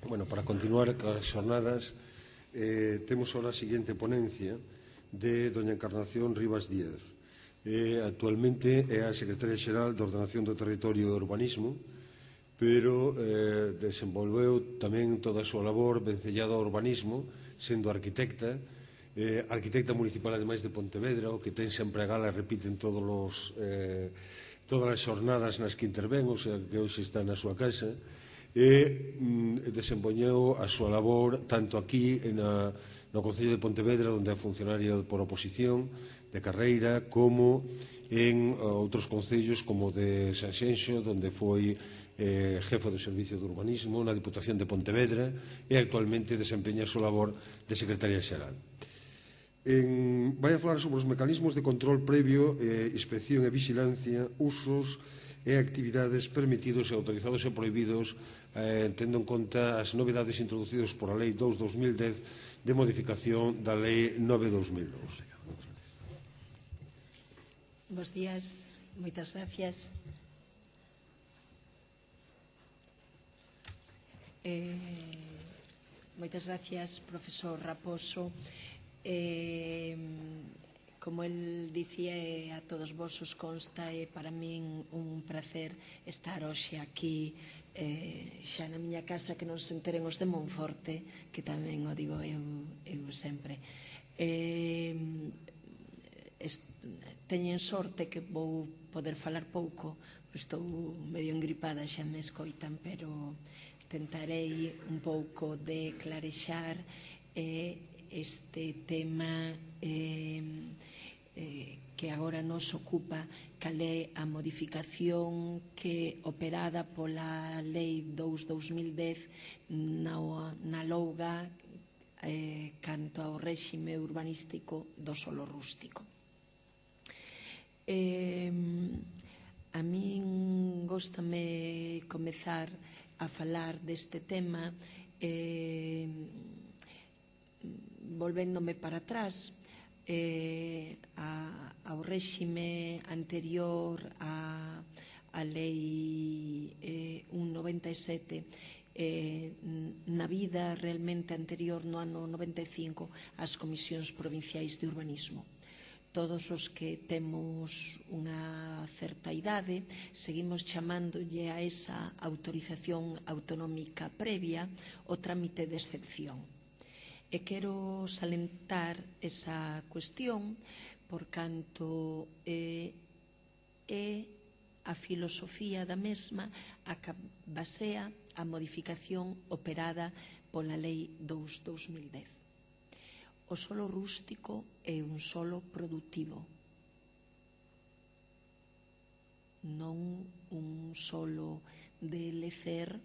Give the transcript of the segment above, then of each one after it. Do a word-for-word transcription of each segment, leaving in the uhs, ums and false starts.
Bueno, para continuar as xornadas, eh, temos ahora a seguinte ponencia de doña Encarnación Rivas Díaz. Eh, actualmente é a Secretaria Xeral de Ordenación do Territorio e Urbanismo, pero eh, desenvolveu tamén toda a súa labor vencellada ao urbanismo, sendo arquitecta, eh, arquitecta municipal ademais de Pontevedra, o que ten sempre a gala e repiten todos os, eh, todas as xornadas nas que intervén, o sea, que hoxe está na súa casa, e mm, desempeñou a súa labor tanto aquí na, no Concello de Pontevedra, onde é funcionaria por oposición de carreira, como en outros concellos como de Sanxenxo, onde foi eh, jefe do Servicio de Urbanismo na Diputación de Pontevedra e actualmente desempeña a súa labor de Secretaria Xeral. En, vai a falar sobre os mecanismos de control previo, eh, inspección e vigilancia, usos e actividades permitidos e autorizados e prohibidos, eh, tendo en conta as novidades introducidas por a Lei dous barra dos mil dez de modificación da Lei nove barra dos mil dous. Bos días, moitas gracias. Eh, moitas gracias, profesor Raposo. Eh, como el dicía, eh, a todos vos os consta, é eh, para min un placer estar hoxe aquí eh, xa na miña casa, que non se enteren os de Monforte, que tamén o digo eu, eu sempre. Eh, est, teñen sorte que vou poder falar pouco, estou medio engripada, xa me escoitan, pero tentarei un pouco de clarexar eh, este tema eh, eh, que agora nos ocupa, cal é a modificación que operada pola Lei dous barra dos mil dez na, na Louga eh, canto ao réxime urbanístico do solo rústico. Eh, a min góstame comezar a falar deste tema eh, volvéndome para atrás eh, a, ao réxime anterior a, a Lei eh, un noventa e sete, eh, na vida realmente anterior, no ano noventa e cinco, ás comisións provinciais de urbanismo. Todos os que temos unha certa idade seguimos chamándolle a esa autorización autonómica previa o trámite de excepción. E quero salentar esa cuestión por canto eh, é a filosofía da mesma a que basea a modificación operada pola Lei dous barra dos mil dez. O solo rústico é un solo produtivo, non un solo de lecer,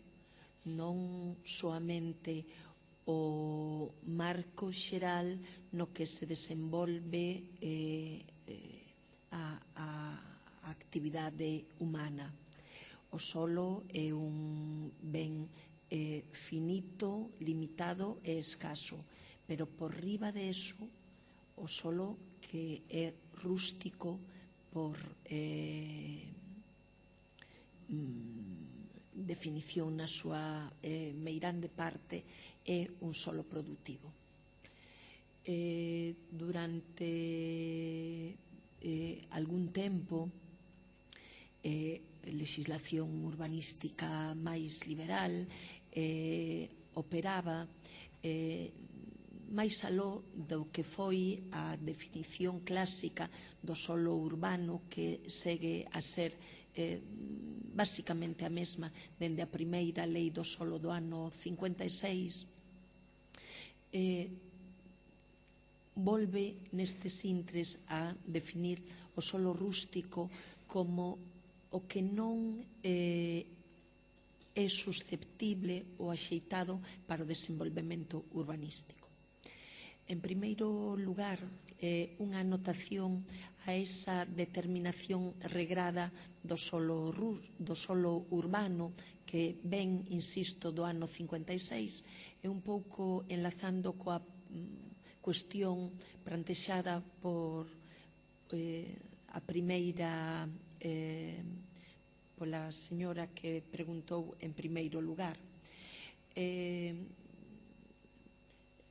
non soamente o marco xeral no que se desenvolve eh, eh, a, a actividade humana. O solo é un ben eh, finito, limitado e escaso, pero por riba de eso, o solo que é rústico por eh, definición na súa eh, meirande parte, é un solo produtivo. Eh, durante eh, algún tempo, eh, legislación urbanística máis liberal eh, operaba eh, máis aló do que foi a definición clásica do solo urbano, que segue a ser eh, basicamente a mesma dende a primeira lei do solo do ano cincuenta e seis. Eh, volve nestes intres a definir o solo rústico como o que non eh, é susceptible ou axeitado para o desenvolvemento urbanístico. En primeiro lugar, eh, unha anotación a esa determinación regrada do solo, do solo urbano que ven, insisto, do ano cincuenta e seis, é un pouco enlazando coa cuestión plantexada por eh, a primeira eh, pola señora que preguntou en primeiro lugar. Eh,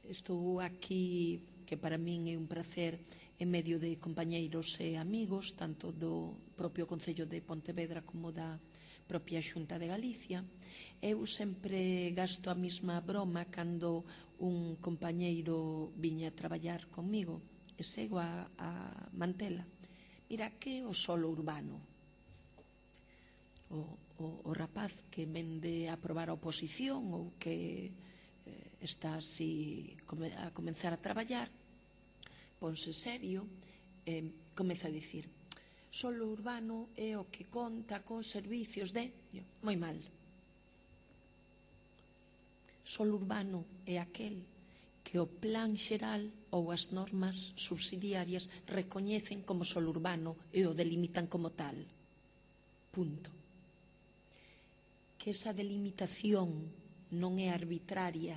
estou aquí, que para min é un prazer, en medio de compañeiros e amigos, tanto do propio Concello de Pontevedra como da propia Xunta de Galicia. Eu sempre gasto a mesma broma cando un compañeiro viña a traballar comigo e sego a, a mantela. Mira, que é o solo urbano? O, o, o rapaz que vende a probar a oposición ou que eh, está así a comenzar a traballar, ponse serio e eh, comeza a dicir: solo urbano é o que conta con servicios de... Moi mal. Solo urbano é aquel que o plan xeral ou as normas subsidiarias recoñecen como solo urbano e o delimitan como tal. Punto. Que esa delimitación non é arbitraria,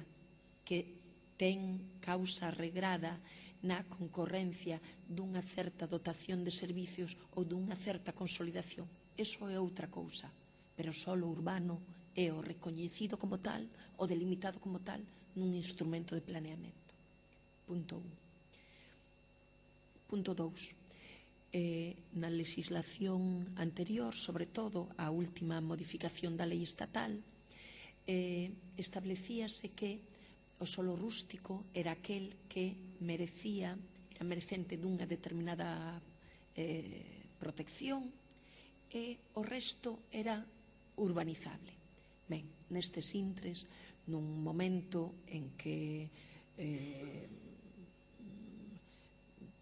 que ten causa regrada na concorrencia dunha certa dotación de servicios ou dunha certa consolidación. Eso é outra cousa, pero solo urbano é o recoñecido como tal, o delimitado como tal, nun instrumento de planeamento. Punto un. Punto dous. Eh, na legislación anterior, sobre todo a última modificación da lei estatal, eh, establecíase que o solo rústico era aquel que merecía, era merecente dunha determinada eh, protección e o resto era urbanizable. Ben, nestes intres, nun momento en que eh,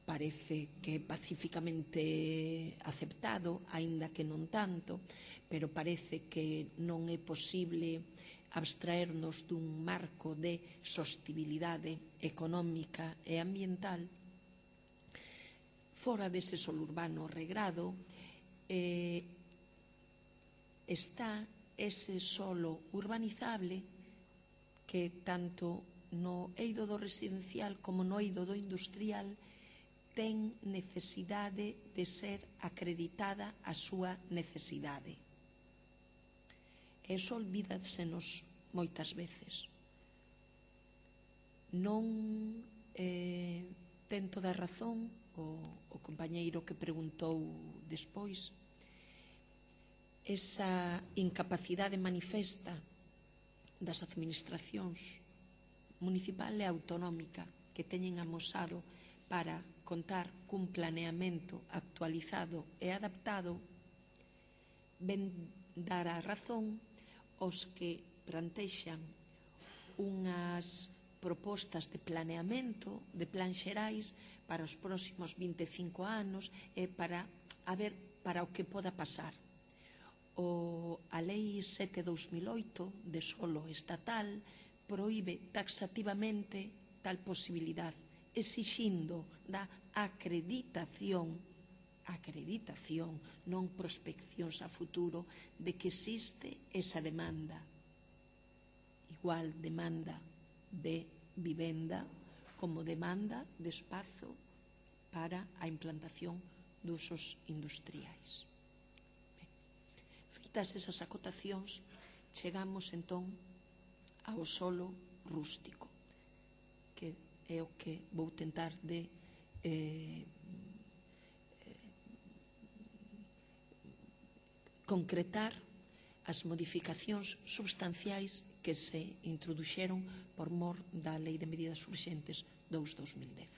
parece que pacíficamente aceptado, aínda que non tanto, pero parece que non é posible abstraernos dun marco de sostibilidade económica e ambiental, fora dese solo urbano regrado eh, está ese solo urbanizable que tanto no eido do residencial como no eido do industrial ten necesidade de ser acreditada a súa necesidade. Eso olvídasenos moitas veces. Non eh, ten toda a razón o, o compañeiro que preguntou despois. Esa incapacidade manifesta das administracións municipal e autonómica que teñen amosado para contar cun planeamento actualizado e adaptado ven dar a razón os que plantexan unhas propostas de planeamento, de plan xerais para os próximos vinte e cinco anos e para a ver para o que poda pasar. O, a Lei sete barra dos mil oito de solo estatal proíbe taxativamente tal posibilidade, exixindo da acreditación acreditación, non prospeccións a futuro, de que existe esa demanda. Igual demanda de vivenda como demanda de espazo para a implantación de usos industriais. Ben, feitas esas acotacións, chegamos entón ao solo rústico, que é o que vou tentar de eh, concretar as modificacións substanciais que se introduxeron por mor da Lei de Medidas Urxentes dous barra dos mil dez.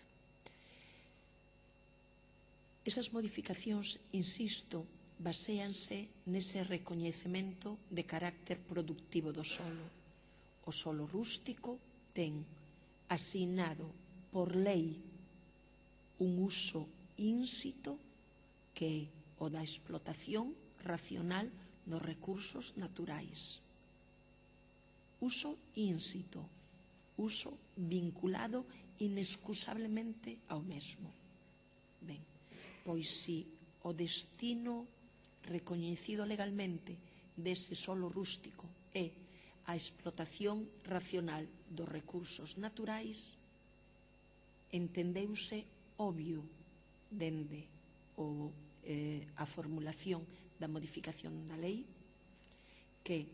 Esas modificacións, insisto, baséanse nese recoñecemento de carácter productivo do solo. O solo rústico ten asignado por lei un uso ínsito que é o da explotación racional dos recursos naturais. Uso ínsito, uso vinculado inexcusablemente ao mesmo. Ben, pois si o destino recoñecido legalmente dese solo rústico é a explotación racional dos recursos naturais, entendeuse obvio dende o, eh, a formulación da modificación da lei que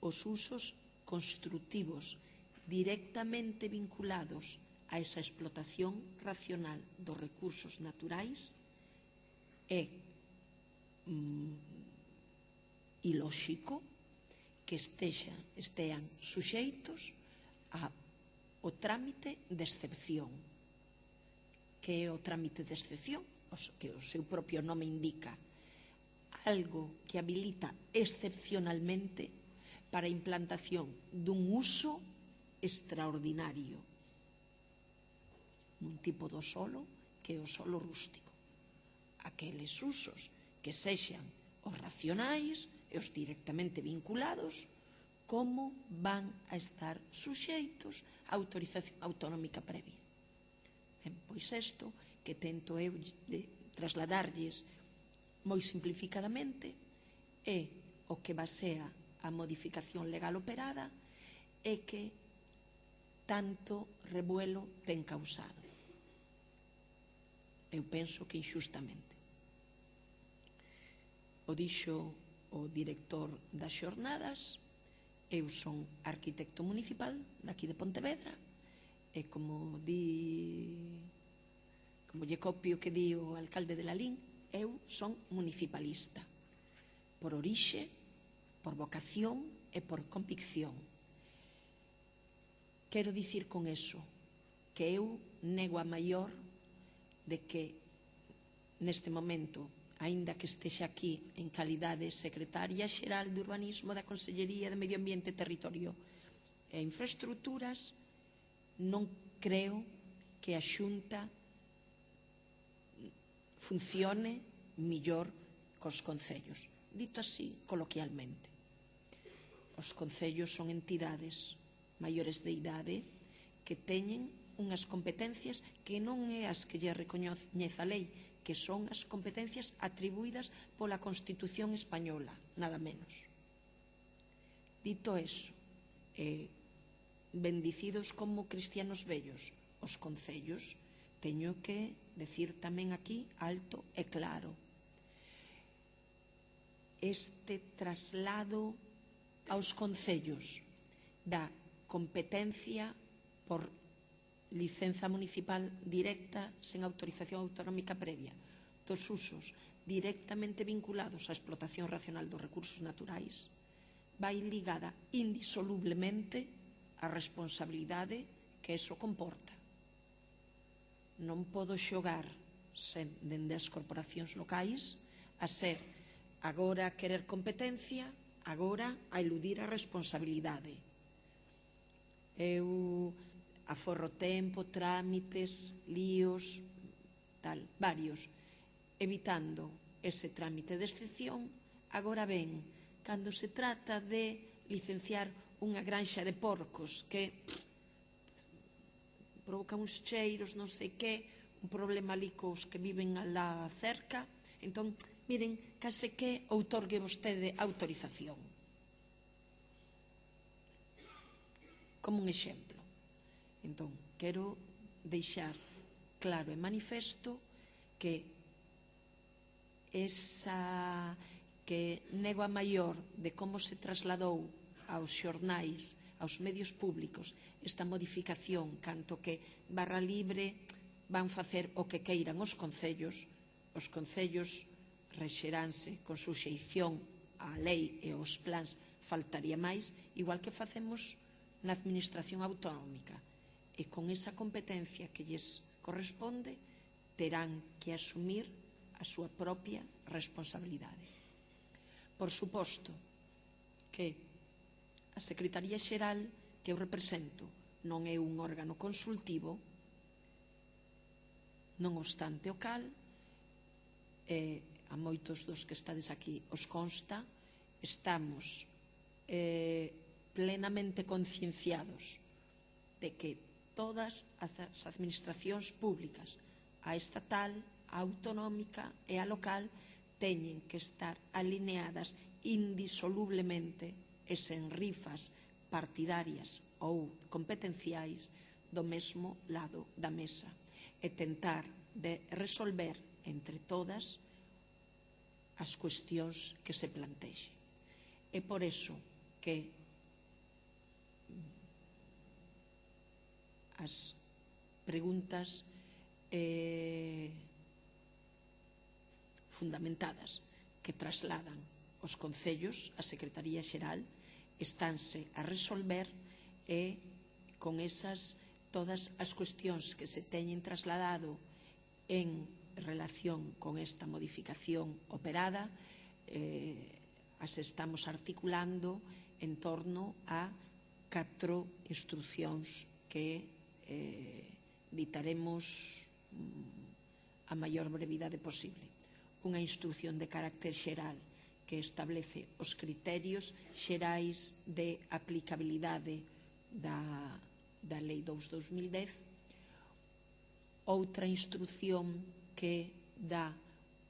os usos construtivos directamente vinculados a esa explotación racional dos recursos naturais é mm, ilóxico que estexa, estean suxeitos ao trámite de excepción. Que é o trámite de excepción? Que o seu propio nome indica, algo que habilita excepcionalmente para a implantación dun uso extraordinario nun tipo do solo que é o solo rústico. Aqueles usos que sexan os racionais e os directamente vinculados, como van a estar suxeitos a autorización autonómica previa. Ben, pois isto que tento eu de trasladarlles moi simplificadamente é o que basea a modificación legal operada e que tanto revuelo ten causado. Eu penso que inxustamente. O dixo o director das xornadas, eu son arquitecto municipal daqui de Pontevedra e como di, como lle copio que di o alcalde de Lalín, eu son municipalista por orixe, por vocación e por convicción. Quero dicir con eso que eu nego a maior de que neste momento, aínda que estexa aquí en calidade secretaria xeral de Urbanismo da Consellería de Medio Ambiente, Territorio e Infraestructuras, non creo que a Xunta funcione millor cos concellos. Dito así, coloquialmente. Os concellos son entidades maiores de idade que teñen unhas competencias que non é as que lle recoñece a lei, que son as competencias atribuídas pola Constitución española, nada menos. Dito eso, eh, bendicidos como cristianos vellos, os concellos, teño que decir tamén aquí alto e claro. Este traslado aos concellos da competencia por licenza municipal directa sen autorización autonómica previa dos usos directamente vinculados á explotación racional dos recursos naturais vai ligada indisolublemente á responsabilidade que eso comporta. Non podo xogar sen, dende as corporacións locais a ser agora a querer competencia, agora a eludir a responsabilidade. Eu aforro tempo, trámites, líos, tal, varios, evitando ese trámite de excepción. Agora ben, cando se trata de licenciar unha granxa de porcos que pff, provoca uns cheiros, non sei que, un problema ali cos que viven alá cerca, entón, miren, case que outorgue vostede autorización. Como un exemplo. Entón, quero deixar claro e manifesto que esa que nego a maior de como se trasladou aos xornais, aos medios públicos, esta modificación, canto que barra libre van facer o que queiran os concellos, os concellos rexeránse con suxeición á lei e aos plans, faltaría máis, igual que facemos na administración autonómica. E con esa competencia que lles corresponde, terán que asumir a súa propia responsabilidade. Por suposto que a Secretaría Xeral que eu represento non é un órgano consultivo, non obstante o cal, eh, a moitos dos que estades aquí os consta, estamos eh, plenamente concienciados de que todas as administracións públicas, a estatal, a autonómica e a local, teñen que estar alineadas indisolublemente e sen rifas partidarias ou competenciais do mesmo lado da mesa e tentar de resolver entre todas as cuestións que se plantexen. É por eso que as preguntas eh, fundamentadas que trasladan os concellos, a Secretaría Xeral, estánse a resolver e con esas todas as cuestións que se teñen trasladado en relación con esta modificación operada, eh, as estamos articulando en torno a catro instruccións que eh, ditaremos mm, a maior brevidade posible. Unha instrucción de carácter xeral que establece os criterios xerais de aplicabilidade da, da Lei dous barra dos mil dez, outra instrucción que dá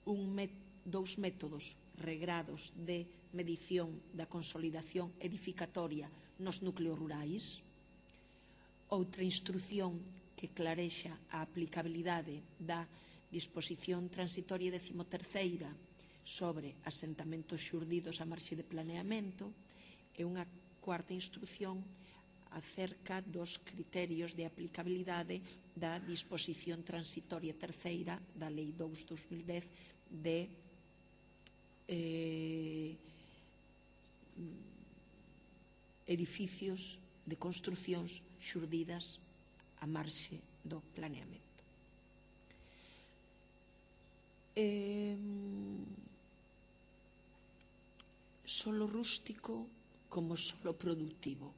un met, dous métodos regrados de medición da consolidación edificatoria nos núcleos rurais, outra instrucción que clarexa a aplicabilidade da disposición transitoria decimoterceira sobre asentamentos xurdidos a marxe de planeamento e unha cuarta instrucción acerca dos criterios de aplicabilidade da disposición transitoria terceira da Lei dous barra dos mil dez de eh, edificios de construcións xurdidas a marxe do planeamento. Eh, solo rústico como solo productivo.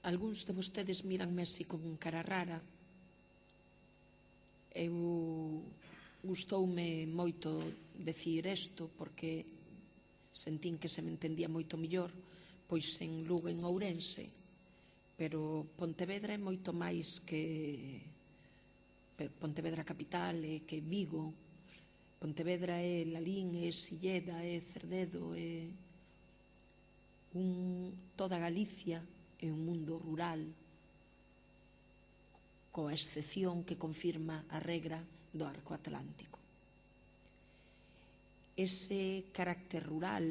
Algúns de vostedes miranme así con cara rara. Eu gustoume moito decir isto porque sentín que se me entendía moito mellor pois en Lugo, en Ourense, pero Pontevedra é moito máis que Pontevedra capital, é que Vigo. Pontevedra é Lalín, é Silleda, é Cerdedo, é un, toda Galicia é un mundo rural, coa excepción que confirma a regra do arco atlántico. Ese carácter rural,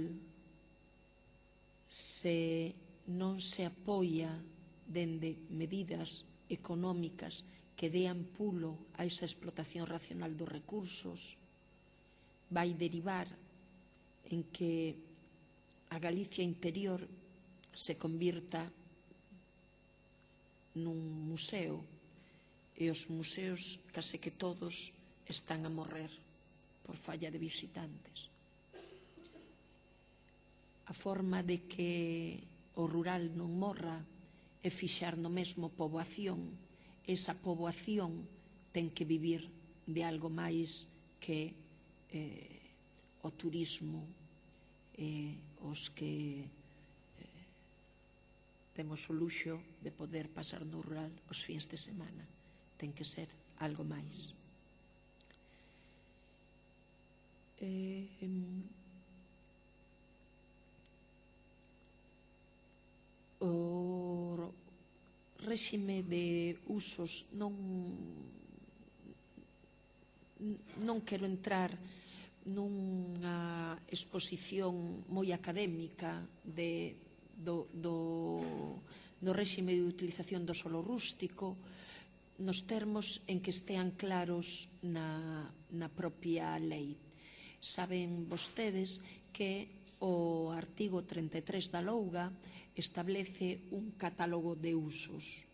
se non se apoia dende medidas económicas que dean pulo a esa explotación racional dos recursos, vai derivar en que a Galicia interior se convirta nun museo e os museos case que todos están a morrer por falla de visitantes. A forma de que o rural non morra é fixar no mesmo poboación. Esa poboación ten que vivir de algo máis que eh, o turismo e eh, os que eh, temos o luxo de poder pasar no rural os fins de semana. Ten que ser algo máis. Eh, o réxime de usos non non quero entrar nunha exposición moi académica de, do, do, do réxime de utilización do solo rústico nos termos en que estean claros na, na propia lei. Saben vostedes que o artigo treinta e tres da Louga establece un catálogo de usos.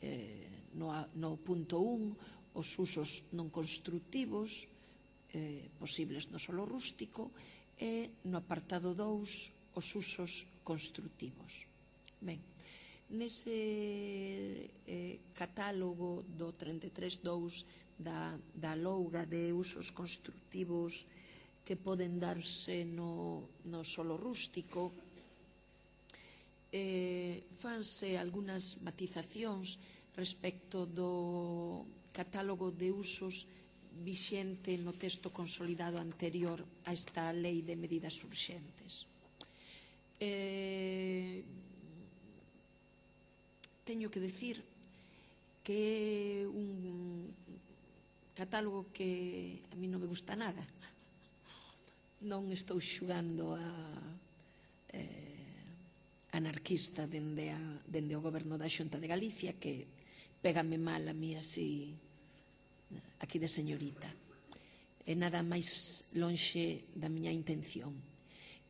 Eh, no, no punto un, os usos non constructivos eh, posibles no solo rústico e no apartado dous, os usos constructivos. Ben, nese eh, catálogo do treinta e tres dous da, da Louga de usos constructivos que poden darse no, no solo rústico, eh, fanse algunhas matizacións respecto do catálogo de usos vixente no texto consolidado anterior a esta lei de medidas urxentes. Eh, teño que decir que é un catálogo que a mí non me gusta nada. Non estou xugando a, eh, a anarquista dende, a, dende o goberno da Xunta de Galicia, que pégame mal a mí así, aquí de señorita. É nada máis lonxe da miña intención.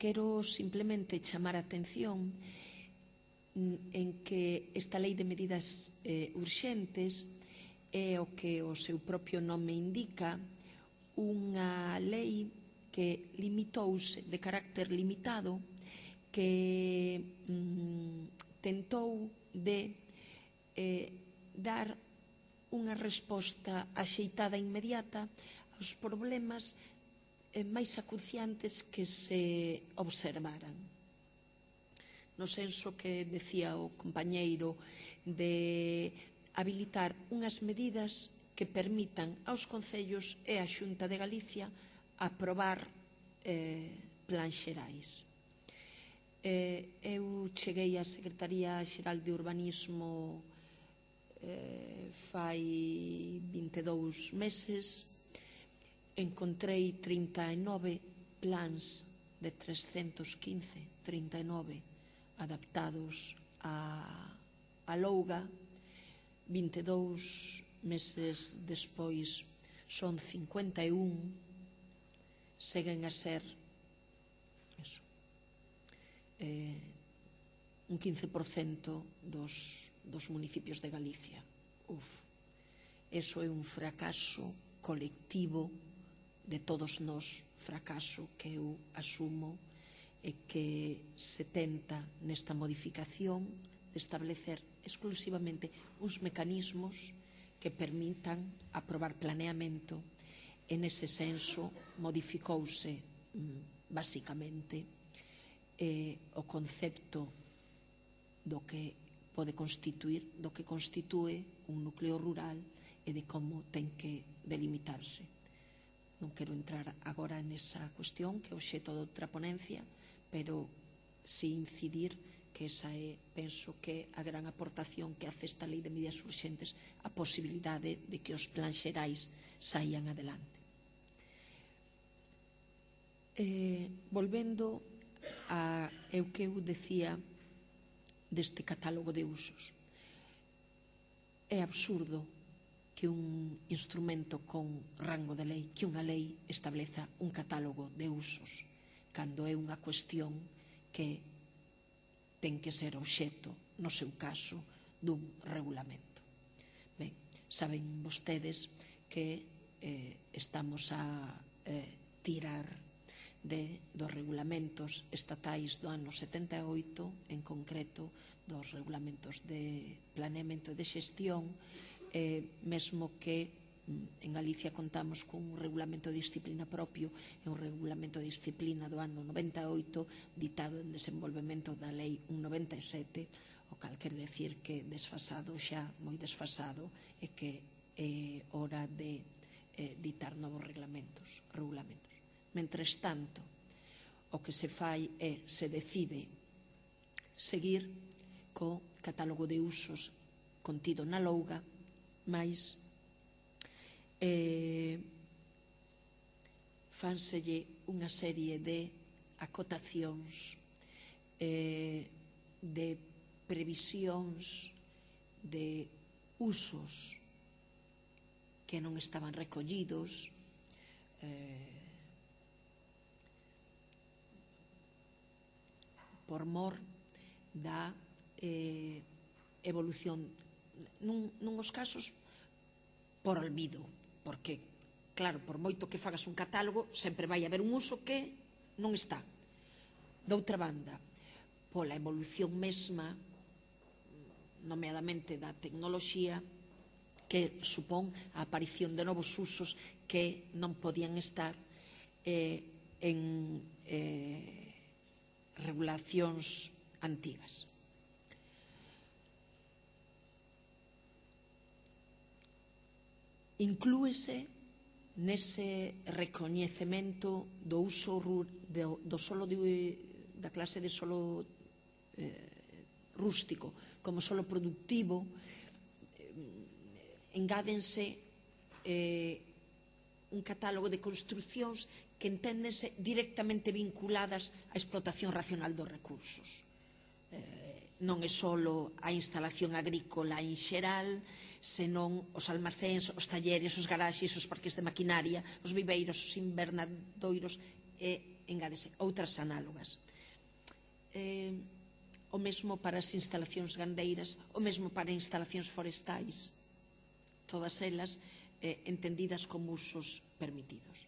Quero simplemente chamar a atención en que esta lei de medidas eh, urxentes é o que o seu propio nome indica, unha lei que limitouse de carácter limitado, que mm, tentou de eh, dar unha resposta axeitada e inmediata aos problemas eh, máis acuciantes que se observaran. No senso que decía o compañeiro de habilitar unhas medidas que permitan aos concellos e á Xunta de Galicia aprobar eh, plans xerais. Eh, eu cheguei á Secretaría Xeral de Urbanismo eh, fai vinte e dous meses, encontrei trinta e nove plans de trescentos quince, trinta e nove adaptados a, a Louga. vinte e dous meses despois son cincuenta e un, seguen a ser eso, eh, un quince por cento dos, dos municipios de Galicia. Uf, eso é un fracaso colectivo de todos nós, fracaso que eu asumo e que se tenta nesta modificación de establecer exclusivamente uns mecanismos que permitan aprobar planeamento. En ese senso modificouse basicamente eh, o concepto do que pode constituir, do que constitúe un núcleo rural e de como ten que delimitarse. Non quero entrar agora nesa cuestión que é obxecto de outra ponencia, pero si incidir que esa é, penso que a gran aportación que hace esta lei de medidas urxentes, a posibilidade de que os plans xerais saian adelante. Eh, volvendo a eu que eu decía deste catálogo de usos, é absurdo que un instrumento con rango de lei, que unha lei estableza un catálogo de usos, cando é unha cuestión que ten que ser obxecto, no seu caso, dun regulamento. Ben, saben vostedes que eh, estamos a eh, tirar de, dos regulamentos estatais do ano setenta e oito, en concreto dos regulamentos de planeamento e de xestión, eh, mesmo que en Galicia contamos cun regulamento de disciplina propio e un regulamento de disciplina do ano noventa e oito ditado en desenvolvemento da lei ciento noventa e sete, o cal quer decir que desfasado xa, moi desfasado, e que é hora de eh, ditar novos reglamentos, regulamentos. Mentres tanto, o que se fai é, se decide seguir co catálogo de usos contido na Louga, máis Eh, fánselle unha serie de acotacións, eh, de previsións de usos que non estaban recollidos, eh, por mor da eh, evolución, nun, nuns casos por olvido, porque, claro, por moito que fagas un catálogo, sempre vai haber un uso que non está. Doutra banda, pola evolución mesma, nomeadamente da tecnoloxía, que supón a aparición de novos usos que non podían estar eh, en eh, regulacións antigas. Inclúese nese recoñecemento do uso do, do solo de, da clase de solo eh, rústico como solo productivo, eh, engádense eh, un catálogo de construcións que enténdense directamente vinculadas á explotación racional dos recursos. Eh, non é só a instalación agrícola en xeral, senón os almacéns, os talleres, os garaxes, os parques de maquinaria, os viveiros, os invernadoiros e, engádese, outras análogas. Eh, o mesmo para as instalacións gandeiras, o mesmo para instalacións forestais, todas elas eh, entendidas como usos permitidos.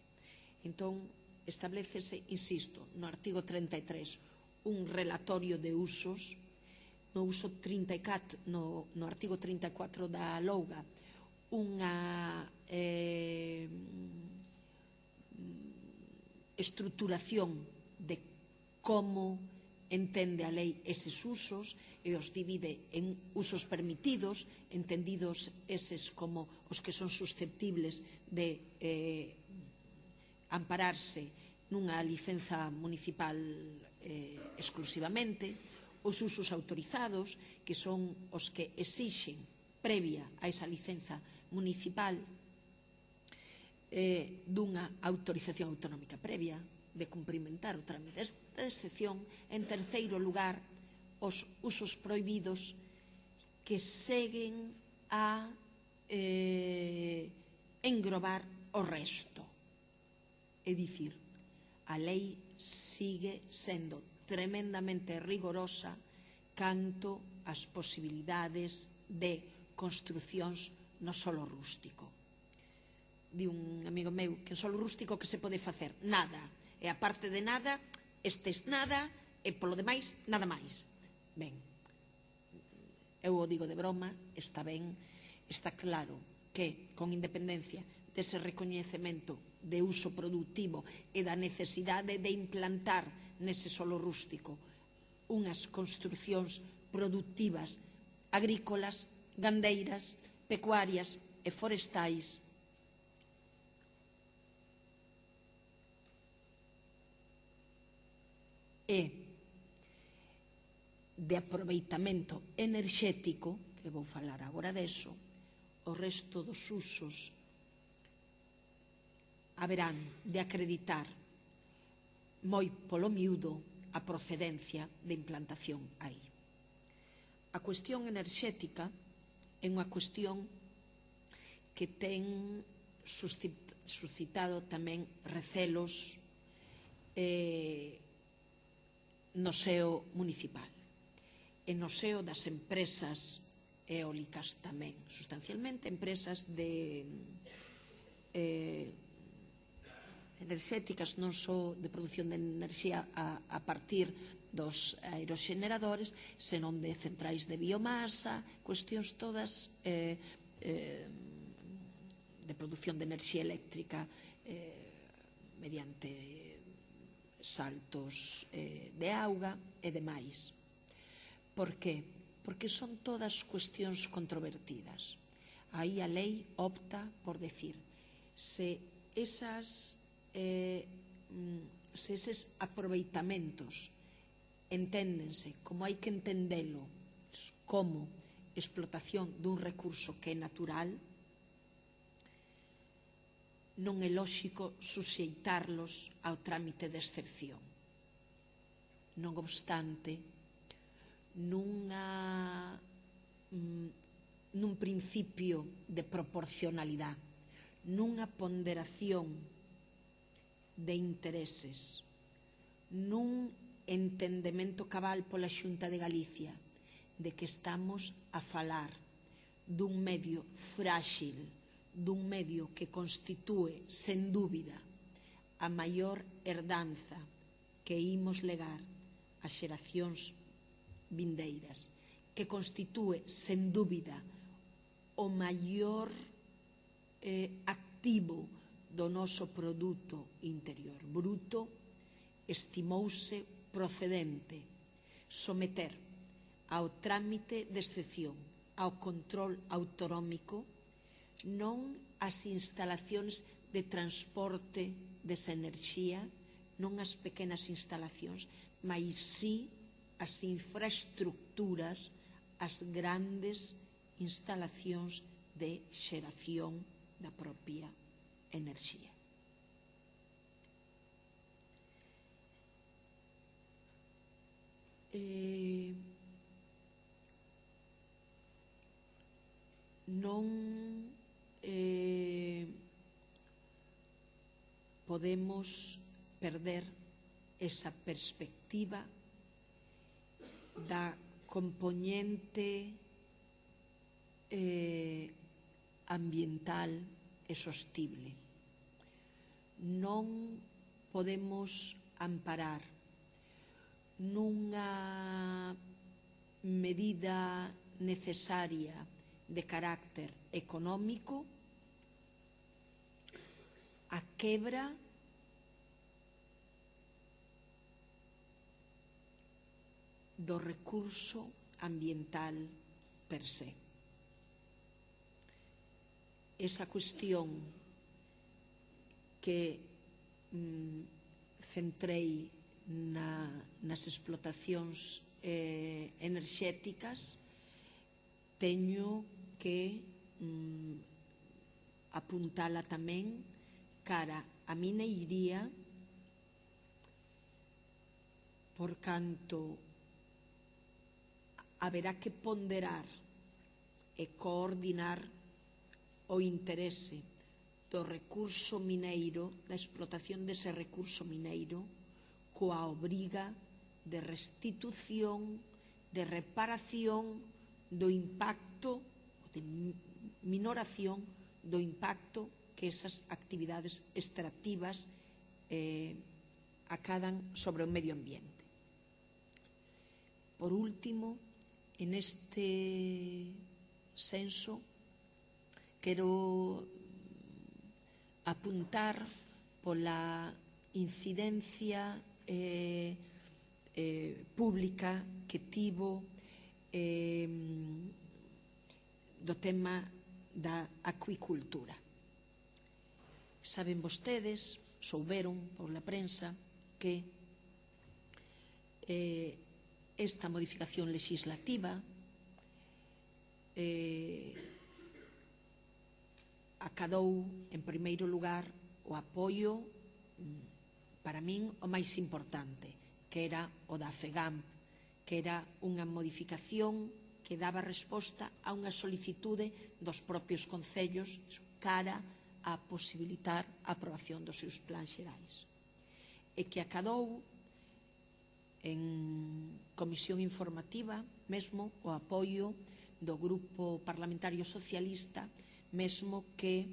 Entón, establecese, insisto, no artigo trinta e tres, un relatorio de usos. No uso trinta e catro, no, no artigo trinta e catro da Louga, unha eh, estruturación de como entende a lei eses usos e os divide en usos permitidos, entendidos eses como os que son susceptibles de eh, ampararse nunha licenza municipal eh, exclusivamente, os usos autorizados, que son os que exixen previa a esa licenza municipal eh, dunha autorización autonómica previa de cumprimentar o trámite de excepción. En terceiro lugar, os usos prohibidos que seguen a eh, engrobar o resto. É dicir, a lei sigue sendo tremendamente rigorosa canto ás posibilidades de construcións no solo rústico. Di un amigo meu que en solo rústico que se pode facer? Nada. E a parte de nada, estes nada, e polo demais, nada máis. Ben, eu o digo de broma, está ben, está claro que, con independencia dese recoñecemento de uso productivo e da necesidade de implantar nese solo rústico unhas construcións productivas agrícolas, gandeiras, pecuarias e forestais e de aproveitamento enerxético, que vou falar agora deso, o resto dos usos haberán de acreditar moi polo miúdo a procedencia de implantación aí. A cuestión enerxética é unha cuestión que ten suscitado tamén recelos eh, no seo municipal e no seo das empresas eólicas tamén, sustancialmente empresas de eh, enerxéticas, non só de produción de enerxía a, a partir dos aeroxeneradores, senón de centrais de biomasa, cuestións todas eh, eh, de produción de enerxía eléctrica eh, mediante saltos eh, de auga e demais. Por que? Porque son todas cuestións controvertidas. Aí a lei opta por decir se esas Eh, se eses aproveitamentos enténdense como hai que entendelo como explotación dun recurso que é natural, non é lóxico suxeitarlos ao trámite de excepción. Non obstante, nunha, nun principio de proporcionalidade, nunha ponderación de intereses, nun entendemento cabal pola Xunta de Galicia de que estamos a falar dun medio frágil, dun medio que constitúe, sen dúbida, a maior herdanza que imos legar ás xeracións vindeiras, que constitúe, sen dúbida, o maior eh, activo do noso produto interior bruto, estimouse procedente someter ao trámite de excepción, ao control autonómico, non as instalacións de transporte desa enerxía, non as pequenas instalacións, mas si as infraestructuras, as grandes instalacións de xeración da propia enerxía. Eh, non eh, podemos perder esa perspectiva da compoñente eh, ambiental e sostible. Non podemos amparar nunha medida necesaria de carácter económico a quebra do recurso ambiental per se. Esa cuestión que mm, centrei na, nas explotacións eh, enerxéticas, teño que mm, apuntala tamén cara a mineiría, por canto haberá que ponderar e coordinar o interese do recurso mineiro, da explotación dese recurso mineiro, coa obriga de restitución, de reparación do impacto, de minoración do impacto que esas actividades extractivas eh, acadan sobre o medio ambiente. Por último, en este senso, quero apuntar pola incidencia eh, eh, pública que tivo eh, do tema da acuicultura. Saben vostedes, souberon pola prensa, que eh, esta modificación legislativa eh, acadou, en primeiro lugar, o apoio, para min, o máis importante, que era o da FEGAMP, que era unha modificación que daba resposta a unha solicitude dos propios concellos cara a posibilitar a aprobación dos seus plans xerais. E que acadou en comisión informativa mesmo o apoio do Grupo Parlamentario Socialista, mesmo que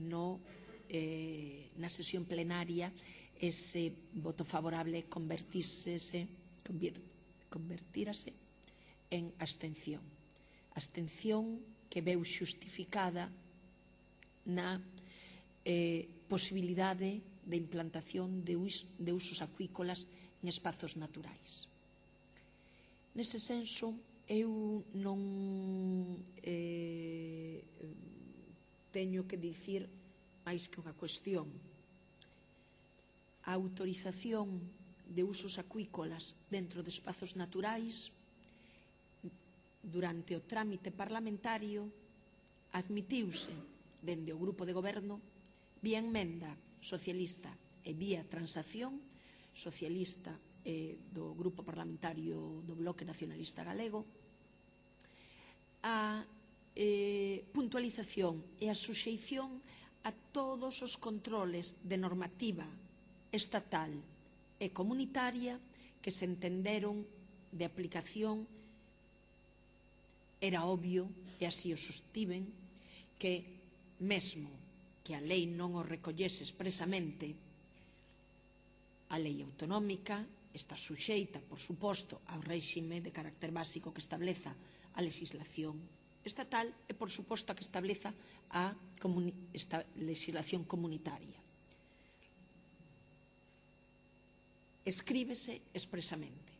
no, eh, na sesión plenaria ese voto favorable convertírase, convertírase en abstención. Abstención que veu xustificada na eh, posibilidade de implantación de, us, de usos acuícolas en espazos naturais. Nese senso, eu non eh, teño que dicir máis que unha cuestión. A autorización de usos acuícolas dentro de espazos naturais, durante o trámite parlamentario, admitiuse dende o grupo de goberno vía enmenda socialista e vía transacción socialista e do grupo parlamentario do Bloque Nacionalista Galego, a eh, puntualización e a suxeición a todos os controles de normativa estatal e comunitaria que se entenderon de aplicación. Era obvio, e así o sostiven, que mesmo que a lei non o recollese expresamente, a lei autonómica está suxeita, por suposto, ao réxime de carácter básico que estableza a legislación estatal e, por suposto, a que estableza a esta legislación comunitaria. Escríbese expresamente.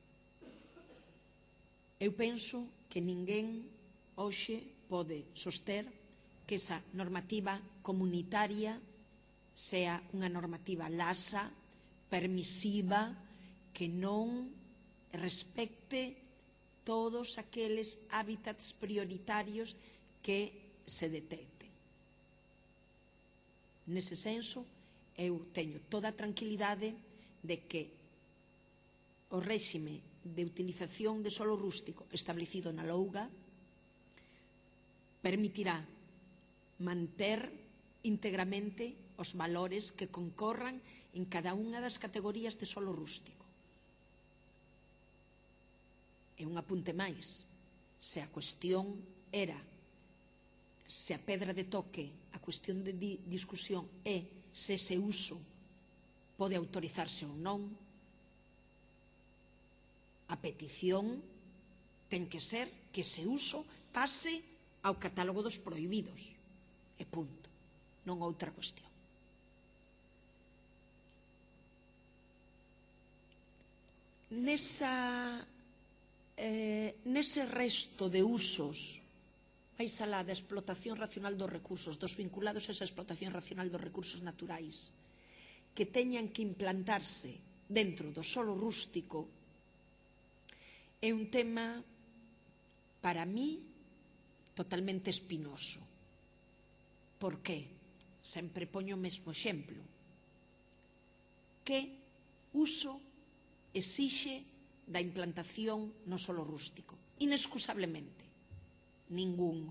Eu penso que ninguén hoxe pode soster que esa normativa comunitaria sea unha normativa laxa, permisiva, que non respecte todos aqueles hábitats prioritarios que se detecten. Nese senso, eu teño toda a tranquilidade de que o réxime de utilización de solo rústico establecido na Louga permitirá manter íntegramente os valores que concorran en cada unha das categorías de solo rústico. E un apunte máis, se a cuestión era, se a pedra de toque, a cuestión de di discusión é se ese uso pode autorizarse ou non, a petición ten que ser que ese uso pase ao catálogo dos prohibidos. E punto. Non outra cuestión. Nesa, eh, nese resto de usos, máis alá da explotación racional dos recursos, dos vinculados a esa explotación racional dos recursos naturais, que teñan que implantarse dentro do solo rústico, é un tema, para mí, totalmente espinoso. Por qué? Sempre poño o mesmo exemplo. Que uso exixe da implantación no solo rústico? Inexcusablemente, ningún.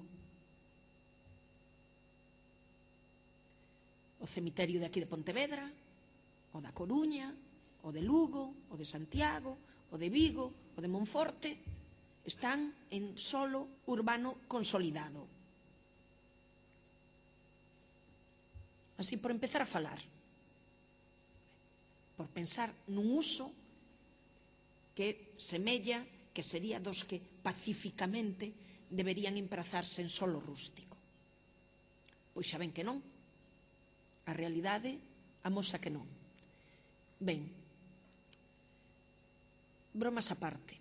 O cemiterio de aquí de Pontevedra, o da Coruña, o de Lugo, o de Santiago, o de Vigo, o de Monforte, están en solo urbano consolidado. Así por empezar a falar, por pensar nun uso que semella que sería dos que pacificamente deberían emprazarse en solo rústico. Pois xa ven que non. A realidade amosa que non. Ben, bromas á parte.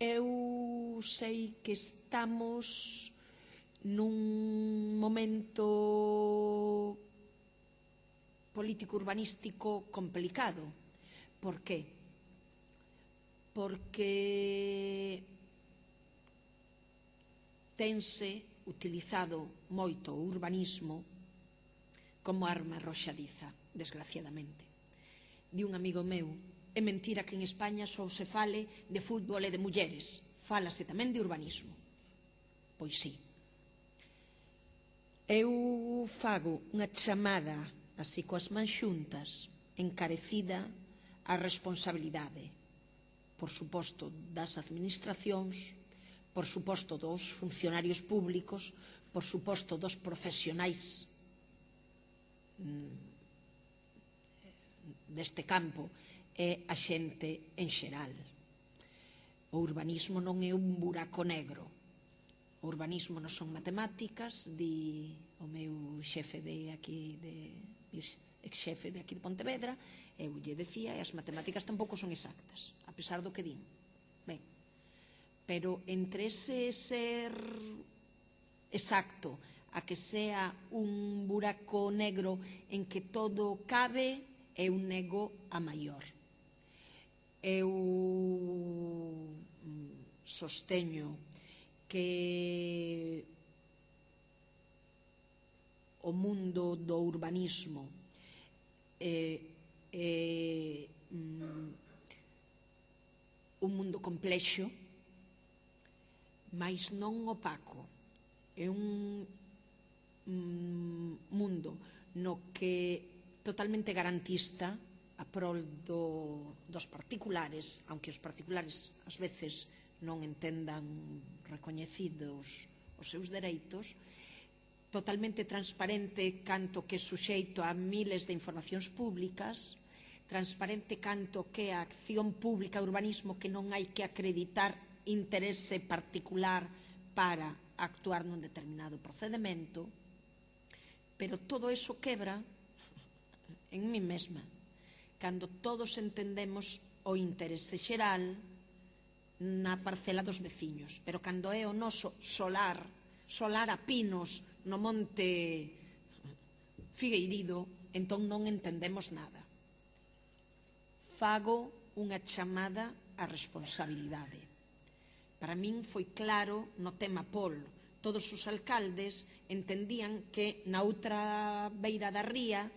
Eu sei que estamos nun momento político urbanístico complicado. Por qué? Porque tense utilizado moito o urbanismo como arma arroxadiza, desgraciadamente. Di un amigo meu, é mentira que en España só se fale de fútbol e de mulleres, fálase tamén de urbanismo. Pois sí. Eu fago unha chamada, así coas mans xuntas, encarecida á responsabilidade, por suposto das administracións, por suposto dos funcionarios públicos, por suposto dos profesionais deste campo e a xente en xeral. O urbanismo non é un buraco negro. O urbanismo non son matemáticas, di o meu xefe de aquí, de, ex-xefe de aquí de Pontevedra, eu lle decía, e as matemáticas tampouco son exactas, a pesar do que din. Ben, pero entre ese ser exacto a que sea un buraco negro en que todo cabe, eu nego a maior. Eu sosteño que o mundo do urbanismo é, é un mundo complexo, mas non opaco. É un mundo no que totalmente garantista a prol do, dos particulares, aunque os particulares ás veces non entendan recoñecidos os seus dereitos, totalmente transparente canto que é suxeito a miles de informacións públicas, transparente canto que a acción pública, urbanismo, que non hai que acreditar interese particular para actuar nun determinado procedimento, pero todo eso quebra en mí mesma, cando todos entendemos o interese xeral na parcela dos veciños, pero cando é o noso solar, solar a pinos no monte Figueirido, entón non entendemos nada. Fago unha chamada á responsabilidade. Para min foi claro no tema Pol. Todos os alcaldes entendían que na outra beira da ría,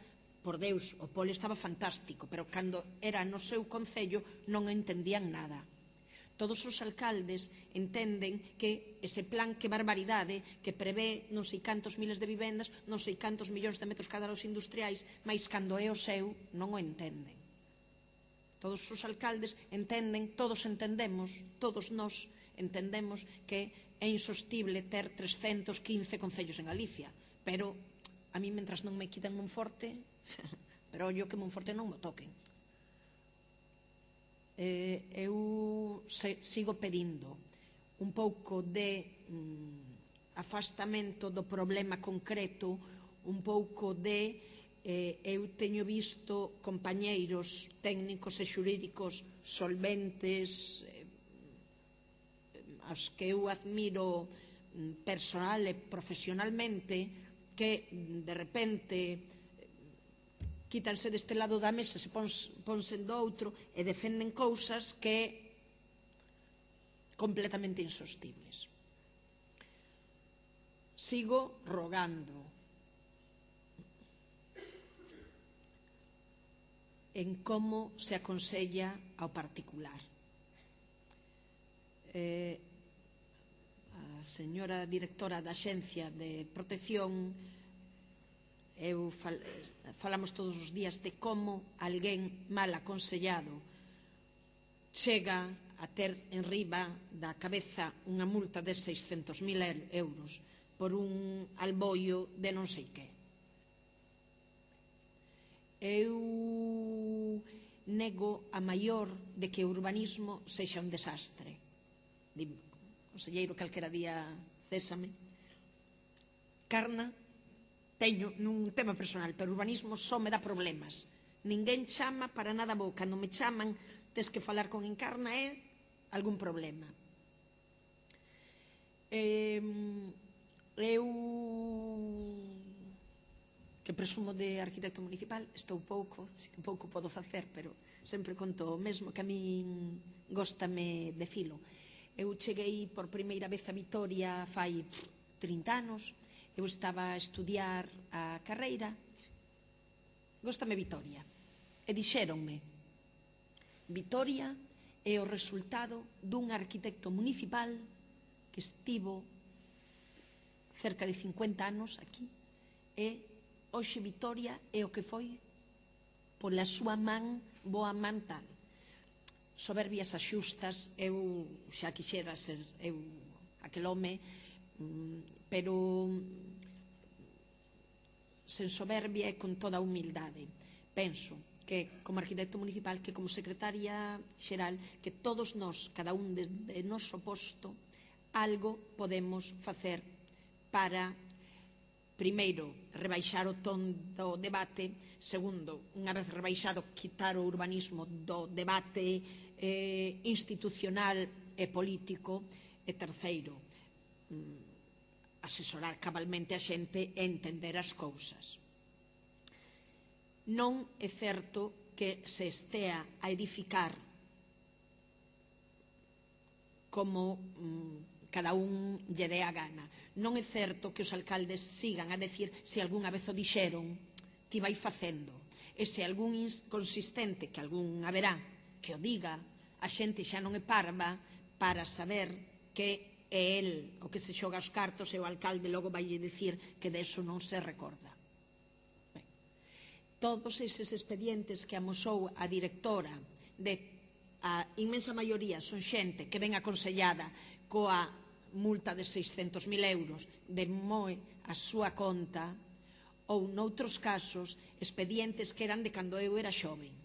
por Deus, o Pol estaba fantástico, pero cando era no seu concello non entendían nada. Todos os alcaldes entenden que ese plan, que barbaridade, que prevé non sei cantos miles de vivendas, non sei cantos millóns de metros cadrados industriais, mas cando é o seu non o entenden. Todos os alcaldes entenden, todos entendemos, todos nós entendemos que é insostible ter trescentos quince concellos en Galicia, pero a mí, mentras non me quitan Monforte, pero ollo que Monforte non me toquen. Eh, eu se, sigo pedindo un pouco de mm, afastamento do problema concreto, un pouco de eh, eu teño visto compañeiros técnicos e xurídicos solventes, eh, aos que eu admiro mm, personal e profesionalmente, que de repente quítanse deste lado da mesa, se ponse do outro e defenden cousas que completamente insostibles. Sigo rogando en como se aconsella ao particular. Eh, a señora directora da Axencia de Protección, eu fal, falamos todos os días de como alguén mal aconsellado chega a ter en riba da cabeza unha multa de seiscentos mil euros por un alboio de non sei que. Eu nego a maior de que o urbanismo sexa un desastre. Dime, conselleiro, calquera día césame. Carna teño nun tema personal, pero o urbanismo só me dá problemas. Ninguén chama para nada bo. Cando me chaman, tes que falar con Encarna é algún problema. Eh, eu, que presumo de arquitecto municipal, estou pouco, si que pouco podo facer, pero sempre conto o mesmo, que a min góstame decilo. Eu cheguei por primeira vez a Vitoria fai trinta anos. Eu estaba a estudiar a carreira, góstame Vitoria, e dixéronme, Vitoria é o resultado dun arquitecto municipal que estivo cerca de cincuenta anos aquí, e hoxe Vitoria é o que foi pola súa man, boa man tal. Soberbias axustas, eu xa quixera ser eu aquel home, pero sen soberbia e con toda a humildade. Penso que como arquitecto municipal, que como secretaria xeral, que todos nós, cada un de, de noso posto, algo podemos facer para, primeiro, rebaixar o ton do debate, segundo, unha vez rebaixado, quitar o urbanismo do debate eh, institucional e político, e terceiro, asesorar cabalmente a xente e entender as cousas. Non é certo que se estea a edificar como mm, cada un lle dé a gana. Non é certo que os alcaldes sigan a decir, se algunha vez o dixeron, ti vai facendo. E se algún consistente, que algún haberá, que o diga, a xente xa non é parva para saber que é el o que se xoga os cartos e o alcalde logo vai dicir que deso non se recorda. Ben, todos eses expedientes que amosou a directora, de a inmensa maioría son xente que ven aconsellada coa multa de seiscentos mil euros de moe a súa conta, ou noutros casos expedientes que eran de cando eu era xoven.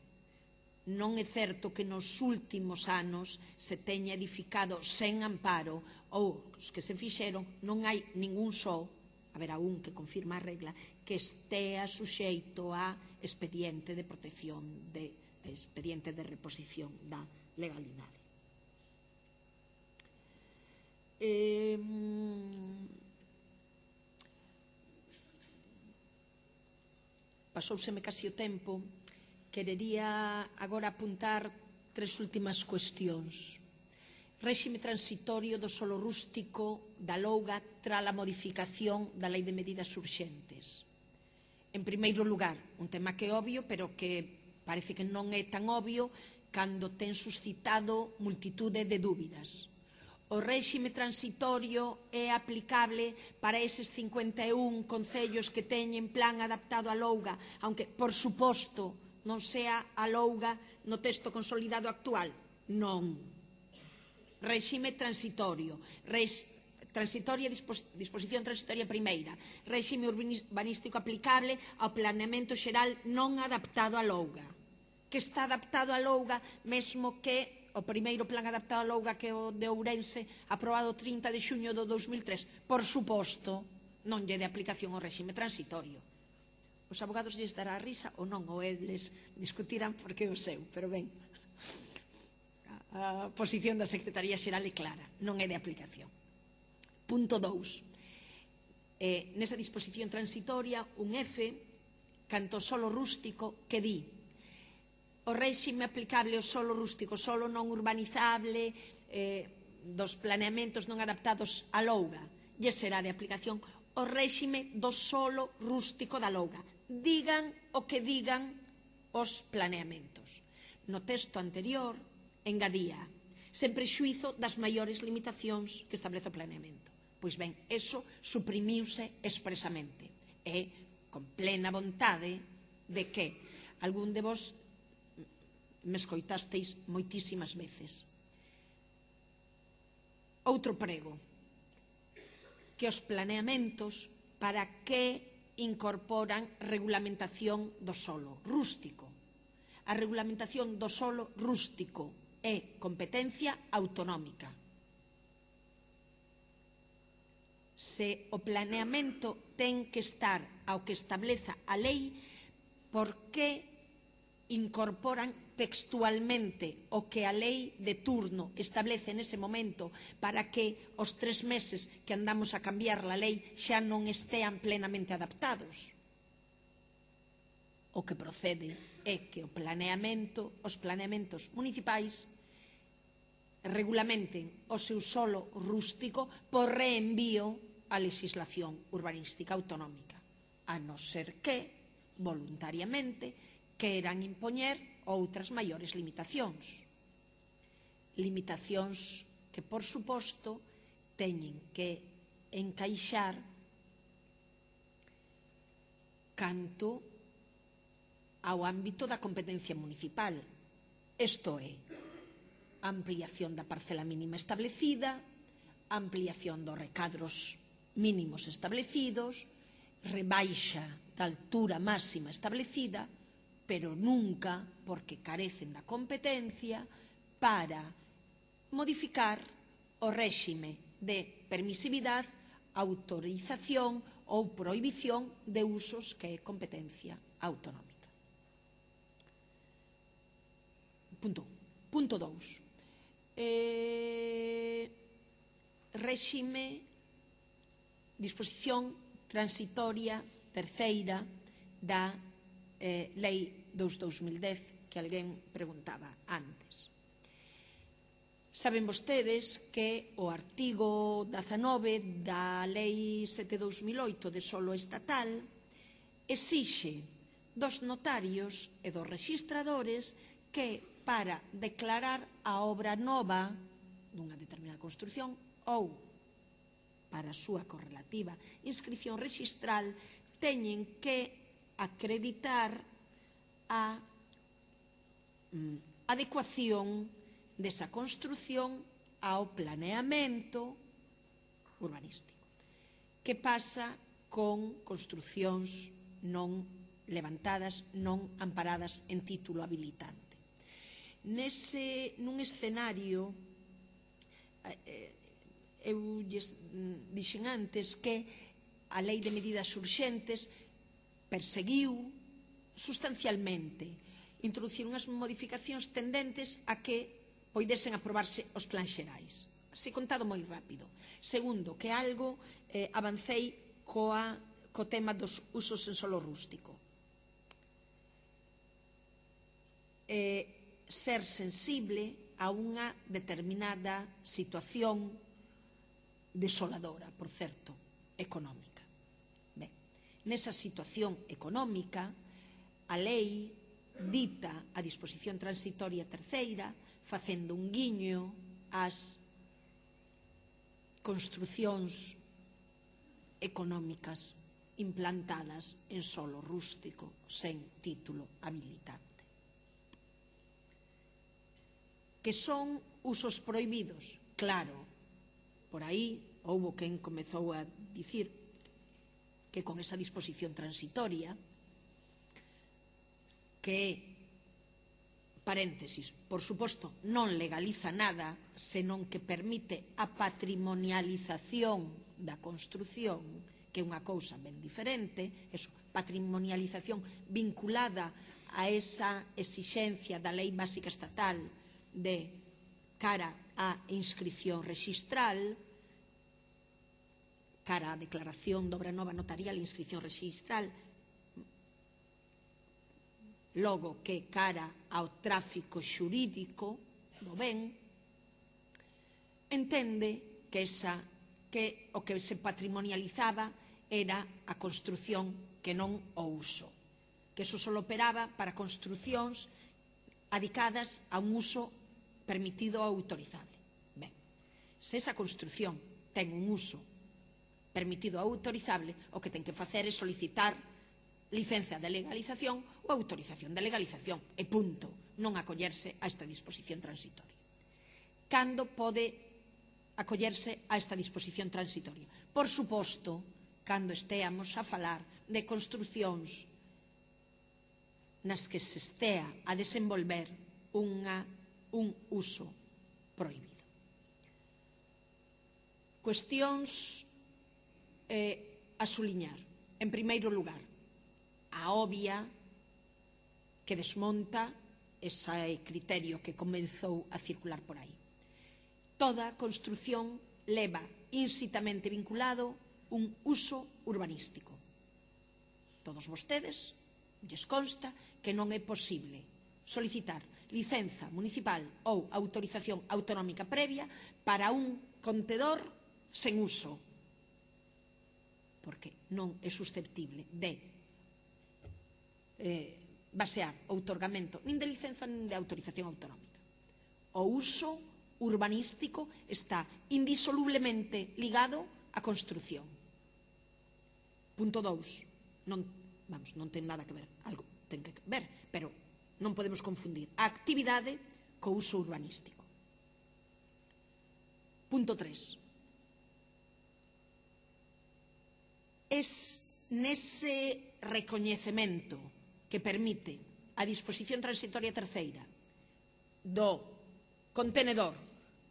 Non é certo que nos últimos anos se teña edificado sen amparo, ou os que se fixeron, non hai ningún só, haberá un que confirma a regla, que estea suxeito a expediente de protección, de expediente de reposición da legalidade. Eh, pasouseme casi o tempo. Querería agora apuntar tres últimas cuestións. Réxime transitorio do solo rústico da Louga tras a modificación da Lei de Medidas Urxentes. En primeiro lugar, un tema que é obvio, pero que parece que non é tan obvio, cando ten suscitado multitude de dúbidas. O réxime transitorio é aplicable para eses cincuenta e un concellos que teñen plan adaptado á Louga, aunque, por suposto, non sea a Louga no texto consolidado actual? Non. Réxime transitorio. Rex, transitoria, dispos, disposición transitoria primeira. Réxime urbanístico aplicable ao planeamento xeral non adaptado á Louga. Que está adaptado á Louga, mesmo que o primeiro plan adaptado a Louga, que é o de Ourense, aprobado o trinta de xuño do dos mil tres, por suposto, non lle de aplicación ao réxime transitorio. Os abogados lles dará risa ou non, ou eles discutirán porque é o seu, pero ben, a posición da Secretaría Xeral é clara, non é de aplicación. Punto dous. Eh, nesa disposición transitoria, un F, canto solo rústico, que di: o réxime aplicable ao solo rústico, solo non urbanizable, eh, dos planeamentos non adaptados á Louga, lle será de aplicación o réxime do solo rústico da Louga. Digan o que digan os planeamentos. No texto anterior, engadía, sen prexuízo das maiores limitacións que establece o planeamento. Pois ben, eso suprimiuse expresamente. E con plena vontade de que algún de vos me escoitasteis moitísimas veces. Outro prego, que os planeamentos para que incorporan regulamentación do solo rústico. A regulamentación do solo rústico é competencia autonómica. Se o planeamento ten que estar ao que estableza a lei, por que incorporan textualmente o que a lei de turno establece nese momento para que os tres meses que andamos a cambiar a lei xa non estean plenamente adaptados? O que procede é que o planeamento, os planeamentos municipais regulamenten o seu solo rústico por reenvío á legislación urbanística autonómica, a non ser que, voluntariamente, queran impoñer outras maiores limitacións. Limitacións que, por suposto, teñen que encaixar canto ao ámbito da competencia municipal. Isto é, ampliación da parcela mínima establecida, ampliación dos recadros mínimos establecidos, rebaixa da altura máxima establecida, pero nunca porque carecen da competencia para modificar o réxime de permisividade, autorización ou prohibición de usos que é competencia autonómica. Punto un. Punto dous. Eh, réxime, disposición transitoria terceira da eh, Lei dos dos mil dez, que alguén preguntaba antes. Saben vostedes que o artigo dezanove da Lei sete barra dos mil oito de solo estatal exixe dos notarios e dos rexistradores que para declarar a obra nova dunha determinada construción ou para a súa correlativa inscripción rexistral teñen que acreditar a mm, adecuación desa construción ao planeamento urbanístico. Que pasa con construcións non levantadas, non amparadas en título habilitante? Nese, nun escenario, eh, eu lles dixen antes que a Lei de Medidas Urxentes perseguiu sustancialmente introducir unhas modificacións tendentes a que poidesen aprobarse os plans xerais. Así contado moi rápido. Segundo, que algo eh, avancei coa, co tema dos usos en solo rústico. Eh, ser sensible a unha determinada situación desoladora, por certo, económica. Ben, nesa situación económica, a lei dita a disposición transitoria terceira, facendo un guiño ás construcións económicas implantadas en solo rústico sen título habilitante. Que son usos prohibidos? Claro, por aí houbo quen comezou a dicir que con esa disposición transitoria, que, paréntesis, por suposto, non legaliza nada, senón que permite a patrimonialización da construción, que é unha cousa ben diferente, eso, patrimonialización vinculada a esa exixencia da Lei Básica Estatal de cara á inscripción rexistral, cara á declaración de obra nova notarial e inscripción rexistral, logo que cara ao tráfico xurídico do ben, entende que, esa, que o que se patrimonializaba era a construción que non o uso, que eso só operaba para construcións adicadas a un uso permitido ou autorizable. Ben, se esa construción ten un uso permitido ou autorizable, o que ten que facer é solicitar licencia de legalización ou autorización de legalización, e punto, non acollerse a esta disposición transitoria. Cando pode acollerse a esta disposición transitoria? Por suposto, cando esteamos a falar de construcións nas que se estea a desenvolver unha, un uso prohibido. Cuestións eh, a suliñar. En primeiro lugar, a obvia que desmonta ese criterio que comezou a circular por aí. Toda construción leva insitamente vinculado un uso urbanístico. Todos vostedes lles consta que non é posible solicitar licenza municipal ou autorización autonómica previa para un contedor sen uso, porque non é susceptible de eh, basear o outorgamento nin de licenza nin de autorización autonómica. O uso urbanístico está indisolublemente ligado á construción. Punto dous, non, vamos, non ten nada que ver, algo ten que ver, pero non podemos confundir a actividade co uso urbanístico. Punto tres. Es nese recoñecemento que permite a disposición transitoria terceira do contenedor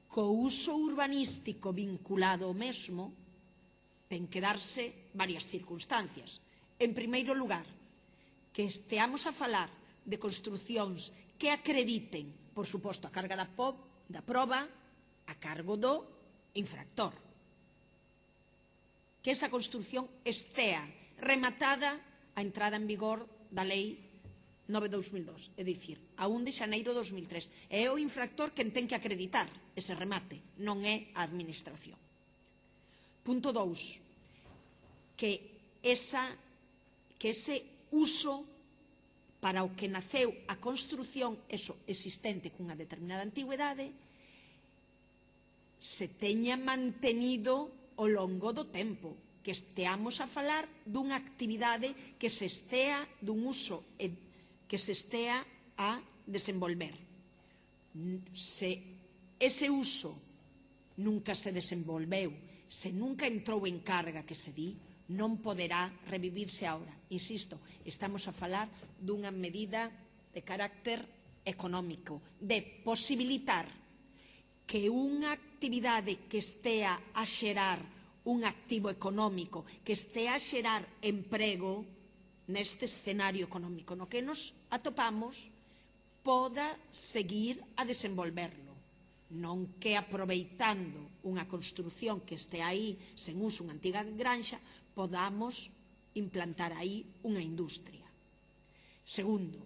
co uso urbanístico vinculado ao mesmo, ten que darse varias circunstancias. En primeiro lugar, que esteamos a falar de construcións que acrediten, por suposto, a carga da, po, da proba a cargo do infractor. Que esa construción estea rematada a entrada en vigor da Lei nove barra dos mil dos, é dicir, a un de xaneiro de dos mil tres. É o infractor quen ten que acreditar ese remate, non é a administración. Punto dous, que, esa, que ese uso para o que naceu a construción, eso existente cunha determinada antigüedade, se teña mantenido ao longo do tempo, que esteamos a falar dunha actividade que se estea, dun uso que se estea a desenvolver. Se ese uso nunca se desenvolveu, se nunca entrou en carga que se di, non poderá revivirse ahora. Insisto, estamos a falar dunha medida de carácter económico, de posibilitar que unha actividade que estea a xerar un activo económico, que estea a xerar emprego neste escenario económico no que nos atopamos, poda seguir a desenvolverlo. Non que aproveitando unha construción que este aí sen uso, unha antiga granxa, podamos implantar aí unha industria. Segundo,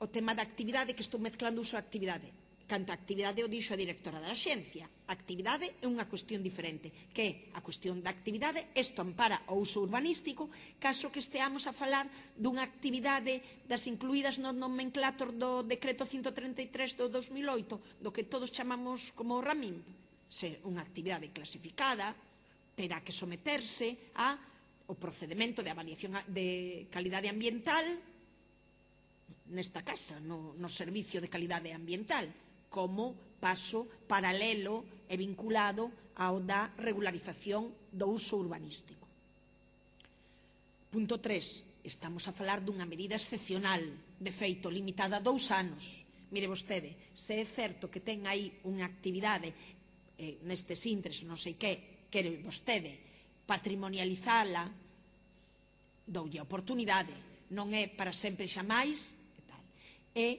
o tema da actividade, que estou mezclando uso e actividade. Canta a actividade o dixo a directora da axencia. A actividade é unha cuestión diferente, que é a cuestión da actividade, isto ampara o uso urbanístico, caso que esteamos a falar dunha actividade das incluídas no nomenclator do decreto ciento treinta e tres do dos mil oito, do que todos chamamos como RAMIM. Se unha actividade clasificada terá que someterse ao procedimento de avaliación de calidade ambiental nesta casa, no, no servicio de calidade ambiental, como paso paralelo e vinculado ao da regularización do uso urbanístico. Punto tres. Estamos a falar dunha medida excepcional, de feito limitada a dous anos. Mire vostede, se é certo que ten aí unha actividade eh, nestes intres, non sei que, quere vostede patrimonializala, doulle a oportunidade, non é para sempre xa máis, e tal. É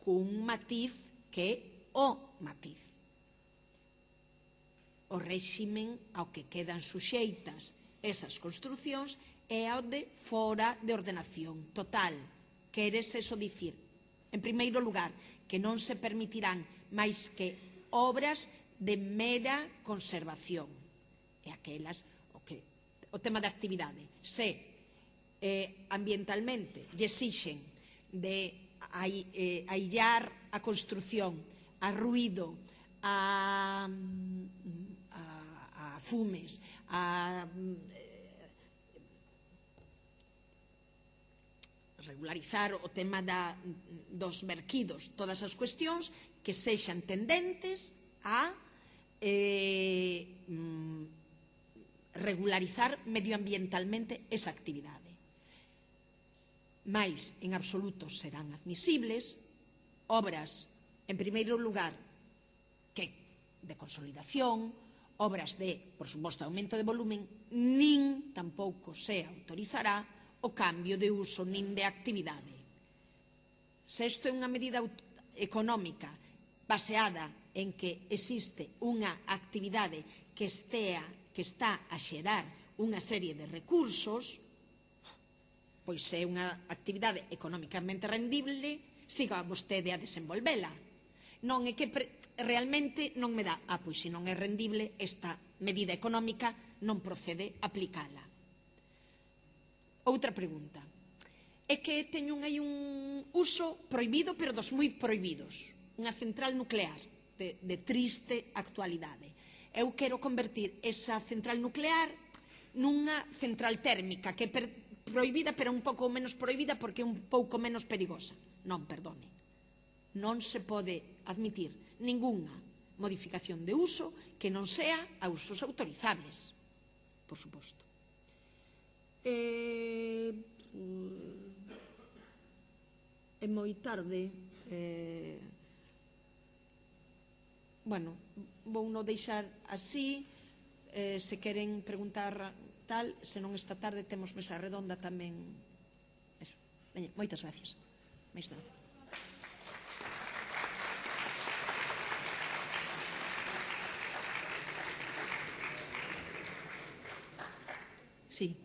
cun matiz que é o matiz. O réximen ao que quedan suxeitas esas construcións é ao de fora de ordenación total. Queres eso dicir, en primeiro lugar, que non se permitirán máis que obras de mera conservación. E aquelas, o, que, o tema da actividade, se eh, ambientalmente lle exixen de eh, aillar a construción, a ruído, a, a, a fumes, a regularizar o tema da, dos verquidos, todas as cuestións que sexan tendentes a eh, regularizar medioambientalmente esa actividade. Mais, en absoluto, serán admisibles obras, en primeiro lugar, que de consolidación, obras de, por suposto, aumento de volumen, nin tampouco se autorizará o cambio de uso nin de actividade. Se isto é unha medida económica baseada en que existe unha actividade que, estea, que está a xerar unha serie de recursos, pois é unha actividade económicamente rendible, siga vostede a desenvolvela. Non é que pre, realmente non me dá, ah, pois se non é rendible, esta medida económica non procede a aplicala. Outra pregunta. É que teño aí un uso prohibido, pero dos moi prohibidos. Unha central nuclear de, de triste actualidade. Eu quero convertir esa central nuclear nunha central térmica que é per, prohibida, pero un pouco menos prohibida porque é un pouco menos perigosa. Non, perdone. Non se pode admitir ningunha modificación de uso que non sea a usos autorizables, por suposto. Eh, é moi tarde. Eh, bueno, vou non deixar así. Eh, se queren preguntar tal, se non esta tarde temos mesa redonda tamén. Eso. Veña, moitas gracias. Mais nada. Sí.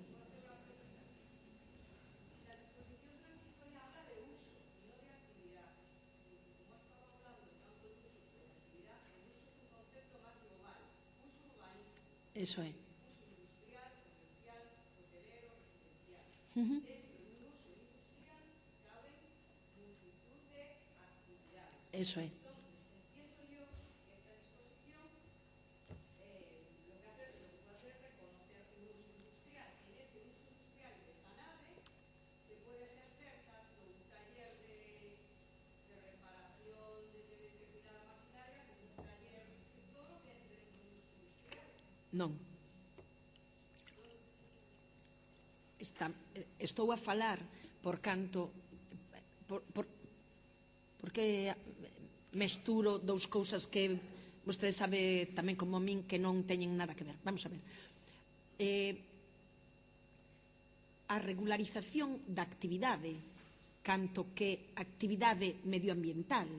Eso é. Uh-huh. Eso é. Non. Está, estou a falar por canto por, por, porque mesturo dous cousas que vostede sabe tamén como a min que non teñen nada que ver. Vamos a ver. Eh, a regularización da actividade, canto que actividade medioambiental,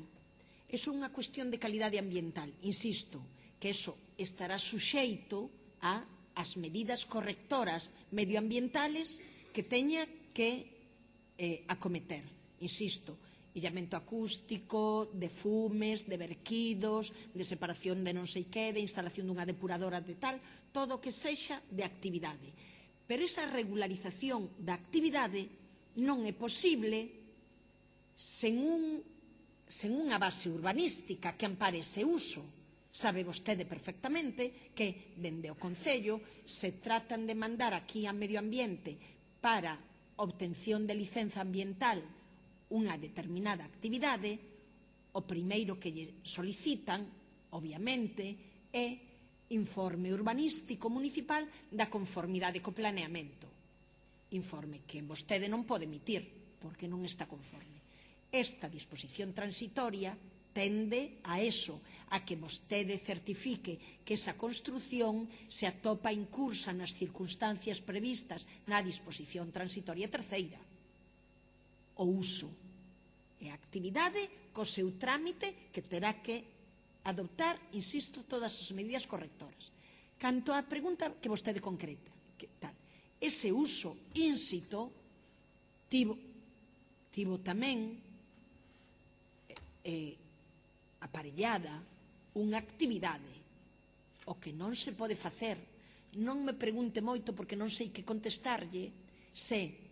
é unha cuestión de calidade ambiental. Insisto, que eso estará suxeito a as medidas correctoras medioambientales que teña que eh, acometer. Insisto, illamento acústico, de fumes, de verquidos, de separación de non sei que, de instalación dunha depuradora de tal, todo o que sexa de actividade. Pero esa regularización da actividade non é posible sen, un, sen unha base urbanística que ampare ese uso. Sabe vostede perfectamente que, dende o Concello, se tratan de mandar aquí a Medio Ambiente para obtención de licenza ambiental unha determinada actividade, o primeiro que lle solicitan, obviamente, é informe urbanístico municipal da conformidade co planeamento. Informe que vostede non pode emitir, porque non está conforme. Esta disposición transitoria tende a eso, a que vostede certifique que esa construción se atopa incursa nas circunstancias previstas na disposición transitoria terceira. O uso e a actividade co seu trámite que terá que adoptar, insisto, todas as medidas correctoras. Canto á pregunta que vostede concreta, que tal, ese uso ínsito tivo, tivo tamén eh, aparellada unha actividade, o que non se pode facer. Non me pregunte moito porque non sei que contestarlle se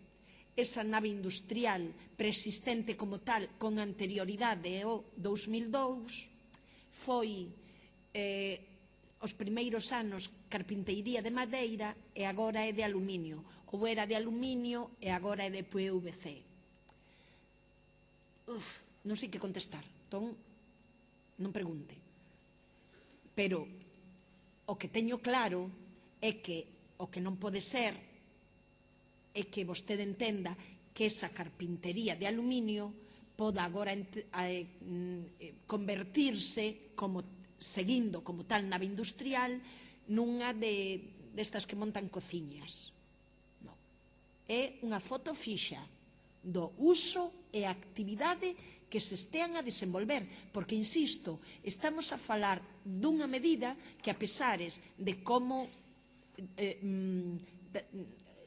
esa nave industrial preexistente como tal con anterioridade ao dous mil dous foi eh, os primeiros anos carpinteiría de madeira e agora é de aluminio, ou era de aluminio e agora é de P V C. Uf, non sei que contestar, entón non pregunte. Pero o que teño claro é que o que non pode ser é que vostede entenda que esa carpintería de aluminio poda agora convertirse, como seguindo como tal nave industrial, nunha de destas que montan cociñas. Non. É unha foto fixa do uso e actividade que se estean a desenvolver, porque, insisto, estamos a falar dunha medida que, a pesares de como eh, de,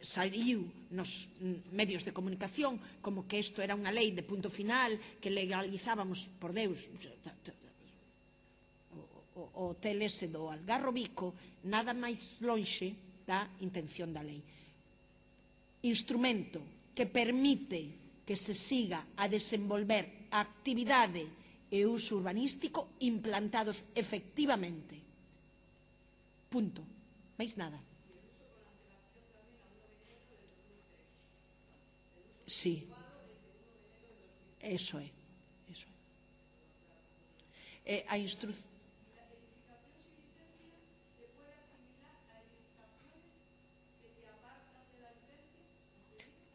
saliu nos medios de comunicación como que isto era unha lei de punto final, que legalizábamos, por Deus, o, o hotel ese do Algarro Bico, nada máis lonxe da intención da lei. Instrumento que permite que se siga a desenvolver a actividade e uso urbanístico implantados efectivamente. Punto. Máis nada. Sí. Eso é. Eso é. A instrucción.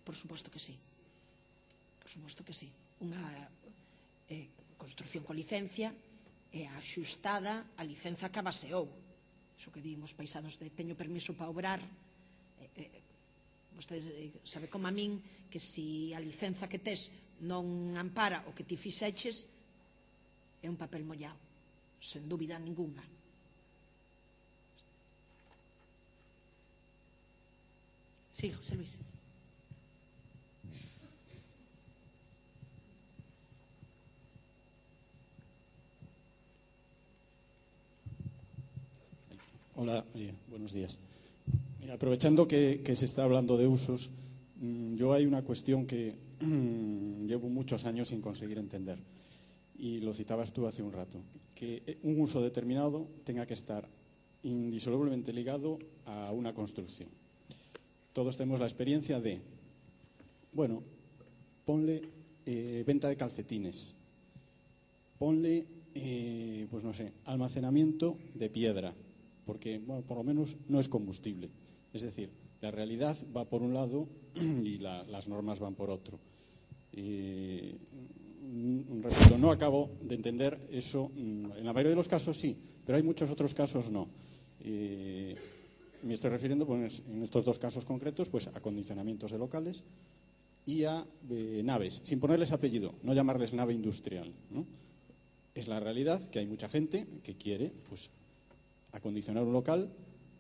Por suposto que sí. Por suposto que sí. Unha eh, construcción con licencia é axustada a licenza que abaseou. Iso que din os paisados de teño permiso para obrar. Eh, eh, vostede sabe como a min que se a licenza que tes non ampara o que ti fixeches, é un papel mollado, sen dúbida ninguna. Sí, José Luis. Hola, eh, buenos días. Mira, aprovechando que, que se está hablando de usos, mmm, yo hay una cuestión que mmm, llevo muchos años sin conseguir entender, y lo citabas tú hace un rato, que un uso determinado tenga que estar indisolublemente ligado a una construcción. Todos tenemos la experiencia de, bueno, ponle eh, venta de calcetines, ponle, eh, pues no sé, almacenamiento de piedra, porque, bueno, por lo menos no es combustible. Es decir, la realidad va por un lado y la, las normas van por otro. Eh, repito, no acabo de entender eso. En la mayoría de los casos sí, pero hay muchos otros casos no. Eh, me estoy refiriendo, pues, en estos dos casos concretos, pues, a condicionamientos de locales y a eh, naves, sin ponerles apellido, no llamarles nave industrial, ¿no? Es la realidad que hay mucha gente que quiere, pues, acondicionar un local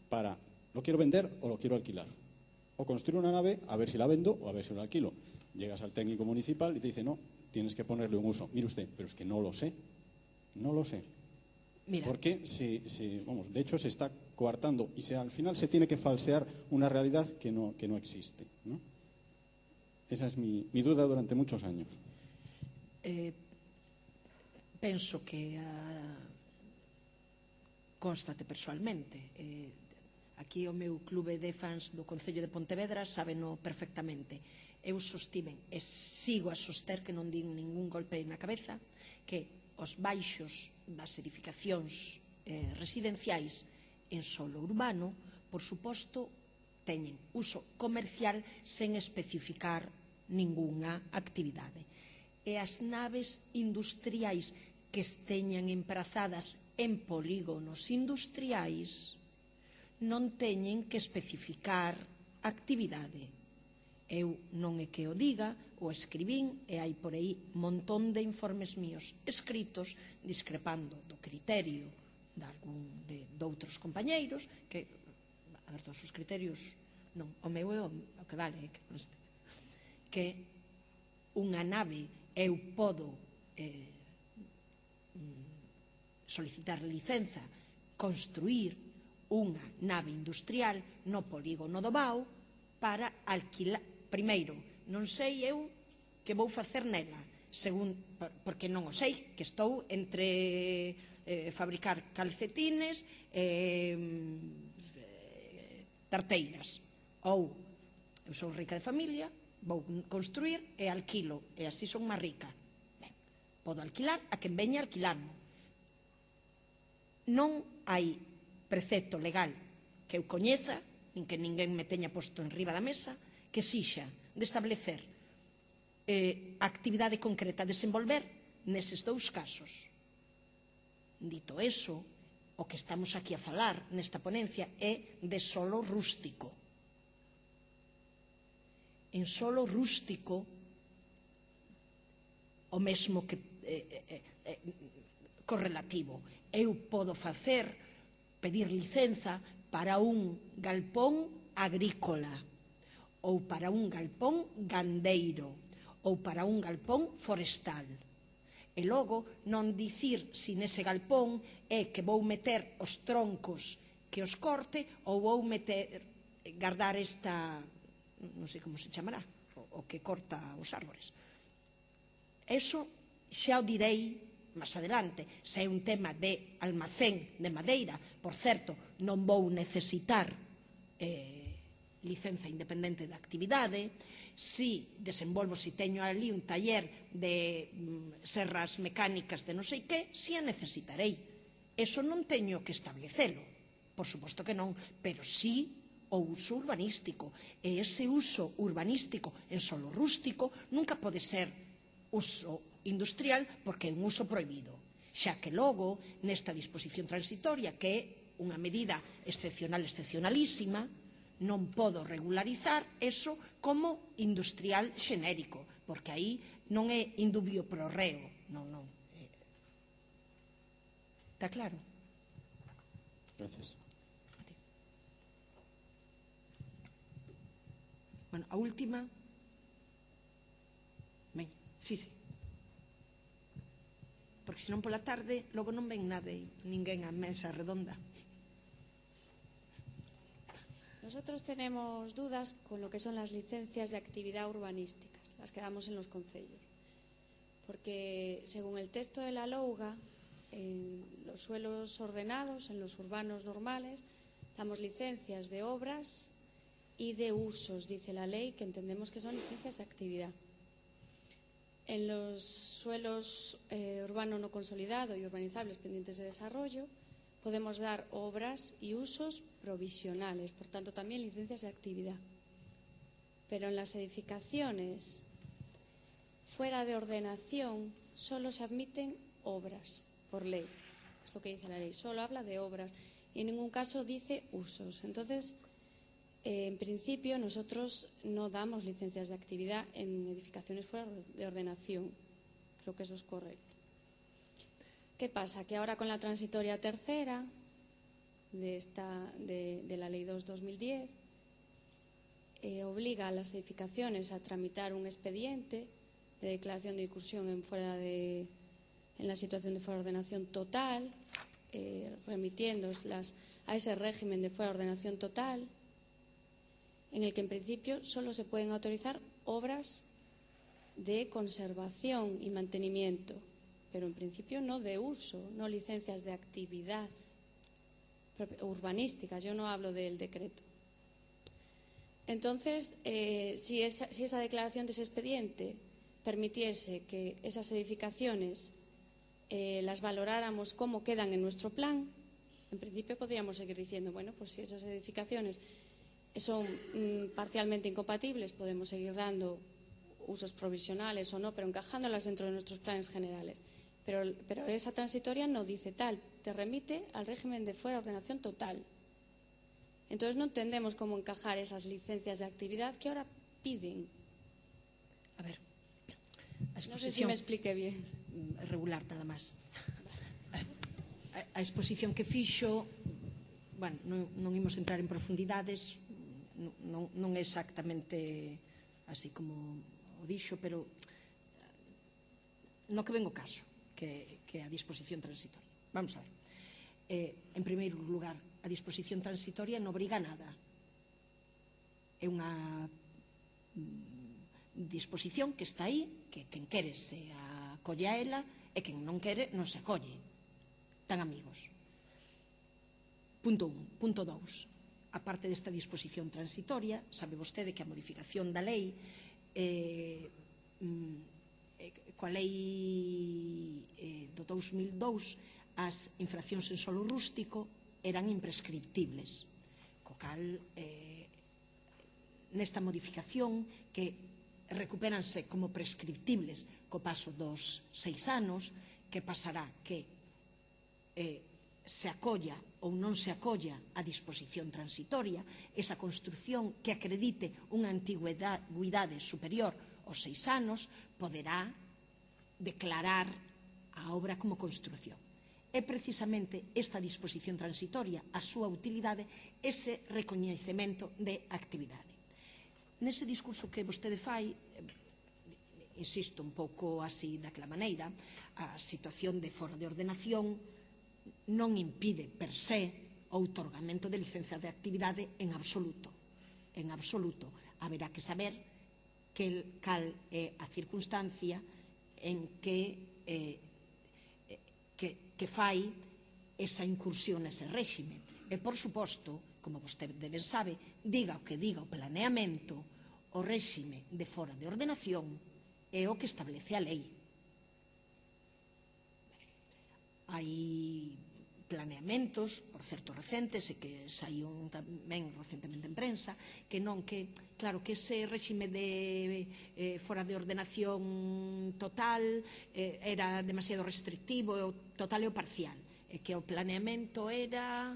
para, lo quiero vender o lo quiero alquilar, o construir una nave a ver si la vendo o a ver si la alquilo. Llegas al técnico municipal y te dice, no, tienes que ponerle un uso. Mire usted, pero es que no lo sé, no lo sé. Mira. Porque se, se, vamos, de hecho se está coartando y se, al final se tiene que falsear una realidad que no, que no existe, ¿no? Esa es mi, mi duda durante muchos años. Eh, penso que a, constate persoalmente. Eh, aquí o meu clube de fans do Concello de Pontevedra sábeno perfectamente. Eu sostiven e sigo a soster que non din ningún golpe na cabeza que os baixos das edificacións eh, residenciais en solo urbano, por suposto, teñen uso comercial sen especificar ningunha actividade. E as naves industriais que esteñan emprazadas en polígonos industriais non teñen que especificar actividade. Eu non é que o diga, o escribín e hai por aí montón de informes míos escritos discrepando do criterio de, algún, de, de outros compañeiros que, a ver, todos os criterios non, o meu é o, o que vale é que, que unha nave eu podo eh, solicitar licenza construir unha nave industrial no polígono do Bao para alquilar. Primeiro, non sei eu que vou facer nela, según, porque non o sei, que estou entre eh, fabricar calcetines e eh, tarteiras. Ou, eu sou rica de familia, vou construir e alquilo, e así son máis rica. Ben, podo alquilar a quen veña a alquilarmo. Non hai precepto legal que eu coñeza, nin que ninguén me teña posto en riba da mesa, que sixa de establecer eh, actividade concreta a desenvolver neses dous casos. Dito eso, o que estamos aquí a falar nesta ponencia é de solo rústico. En solo rústico, o mesmo que eh, eh, eh, correlativo, eu podo facer, pedir licenza para un galpón agrícola, ou para un galpón gandeiro, ou para un galpón forestal. E logo non dicir se nese galpón é que vou meter os troncos que os corte ou vou meter, guardar esta, non sei como se chamará, o que corta os árbores. Eso xa o direi máis adelante. Se é un tema de almacén de madeira, por certo, non vou necesitar eh, licenza independente de actividade. Si desenvolvo, si teño ali un taller de mm, serras mecánicas de non sei que, si a necesitarei. Eso non teño que establecelo, por suposto que non, pero si o uso urbanístico. E ese uso urbanístico en solo rústico nunca pode ser uso industrial porque é un uso prohibido. Xa que logo, nesta disposición transitoria, que é unha medida excepcional, excepcionalísima, non podo regularizar eso como industrial xenérico, porque aí non é indubio pro reo. Non, non. Está claro? Gracias. Bueno, a última. Ben, sí, sí. Porque senón pola tarde logo non ven nada e ninguén á mesa redonda. Nosotros tenemos dudas con lo que son las licencias de actividad urbanísticas, las que damos en los concellos. Porque según el texto de la LOUGA, en los suelos ordenados, en los urbanos normales, damos licencias de obras y de usos, dice la ley, que entendemos que son licencias de actividad. En los suelos eh, urbano no consolidado y urbanizables pendientes de desarrollo, podemos dar obras y usos provisionales, por tanto también licencias de actividad. Pero en las edificaciones fuera de ordenación solo se admiten obras por ley, es lo que dice la ley, solo habla de obras y en ningún caso dice usos. Entonces, eh, en principio nosotros no damos licencias de actividad en edificaciones fuera de ordenación, creo que eso es correcto. ¿Qué pasa? Que ahora con la transitoria tercera de, esta, de, de la Ley dos barra dos mil diez eh, obliga a las edificaciones a tramitar un expediente de declaración de incursión en, fuera de, en la situación de fuera de ordenación total, eh, remitiéndoslas a ese régimen de fuera de ordenación total, en el que en principio solo se pueden autorizar obras de conservación y mantenimiento, pero en principio no de uso, no licencias de actividad urbanísticas. Yo no hablo del decreto. Entonces, eh, si, esa, si esa declaración de ese expediente permitiese que esas edificaciones eh, las valoráramos como quedan en nuestro plan, en principio podríamos seguir diciendo, bueno, pues si esas edificaciones son mm, parcialmente incompatibles, podemos seguir dando usos provisionales o no, pero encajándolas dentro de nuestros planes generales. Pero, pero esa transitoria no dice tal, te remite al régimen de fuera ordenación total. Entonces no entendemos cómo encajar esas licencias de actividad que ahora piden. A ver, a no sé si me explique bien. Regular, nada máis. A, a exposición que fixo, bueno, non, non imos entrar en profundidades, non, non é exactamente así como o dixo, pero no que ven o caso, que, que a disposición transitoria. Vamos a ver. Eh, en primeiro lugar, a disposición transitoria non obriga a nada. É unha mm, disposición que está aí, que quen quere se acolle a ela e quen non quere non se acolle. Tan amigos. Punto un. Punto dous. A parte desta disposición transitoria, sabe vostede que a modificación da lei eh, mm, coa lei eh, do dous mil dous as infraccións en solo rústico eran imprescriptibles, co cal eh, nesta modificación que recupéranse como prescriptibles co paso dos seis anos, que pasará que eh, se acolla ou non se acolla a disposición transitoria, esa construción que acredite unha antigüidade superior aos seis anos poderá declarar a obra como construción. É precisamente esta disposición transitoria, a súa utilidade, ese recoñecemento de actividade. Nese discurso que vostede fai, insisto un pouco así daquela maneira, a situación de fora de ordenación non impide per se o outorgamento de licencia de actividade en absoluto. En absoluto. Haberá que saber que, cal é a circunstancia en que eh, Que, que fai esa incursión nese réxime. E, por suposto, como vostede ben sabe, diga o que diga o planeamento, o réxime de fora de ordenación é o que establece a lei. Hai planeamentos, por certo recentes, e que saiu tamén recentemente en prensa, que non que, claro, que ese réxime de eh, fora de ordenación total eh, era demasiado restrictivo, e o total e o parcial, e que o planeamento era,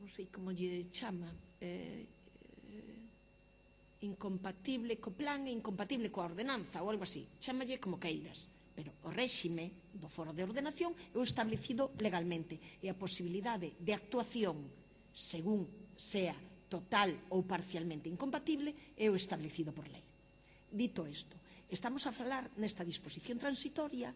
non sei como lle chama, eh, eh, incompatible co plan e incompatible coa ordenanza, ou algo así, chámalle como queiras. Pero o réxime do foro de ordenación é o establecido legalmente e a posibilidade de actuación según sea total ou parcialmente incompatible é o establecido por lei. Dito isto, estamos a falar nesta disposición transitoria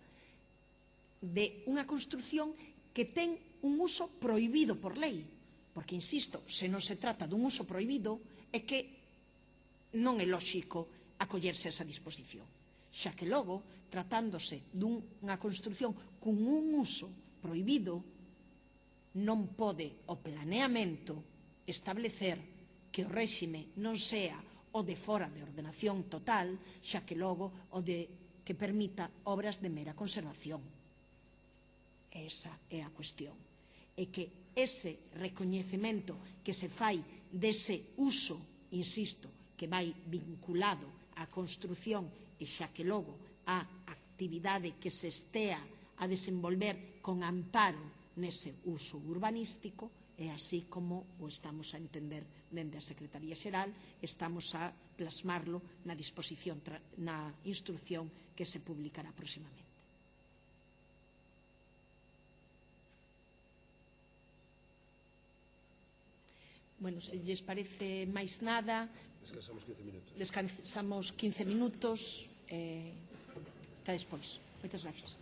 de unha construción que ten un uso prohibido por lei, porque, insisto, se non se trata dun uso prohibido é que non é lóxico acollerse a esa disposición, xa que logo, tratándose dunha construción con un uso prohibido, non pode o planeamento establecer que o réxime non sea o de fora de ordenación total, xa que logo o de que permita obras de mera conservación. Esa é a cuestión. E que ese recoñecemento que se fai dese uso, insisto, que vai vinculado á construción e xa que logo a actividade que se estea a desenvolver con amparo nese uso urbanístico, é así como o estamos a entender dende a Secretaría Xeral, estamos a plasmarlo na disposición, na instrucción que se publicará próximamente. Bueno, se lles parece máis nada, descansamos quince minutos. Descansamos quince minutos. eh, ata despois. Moitas gracias.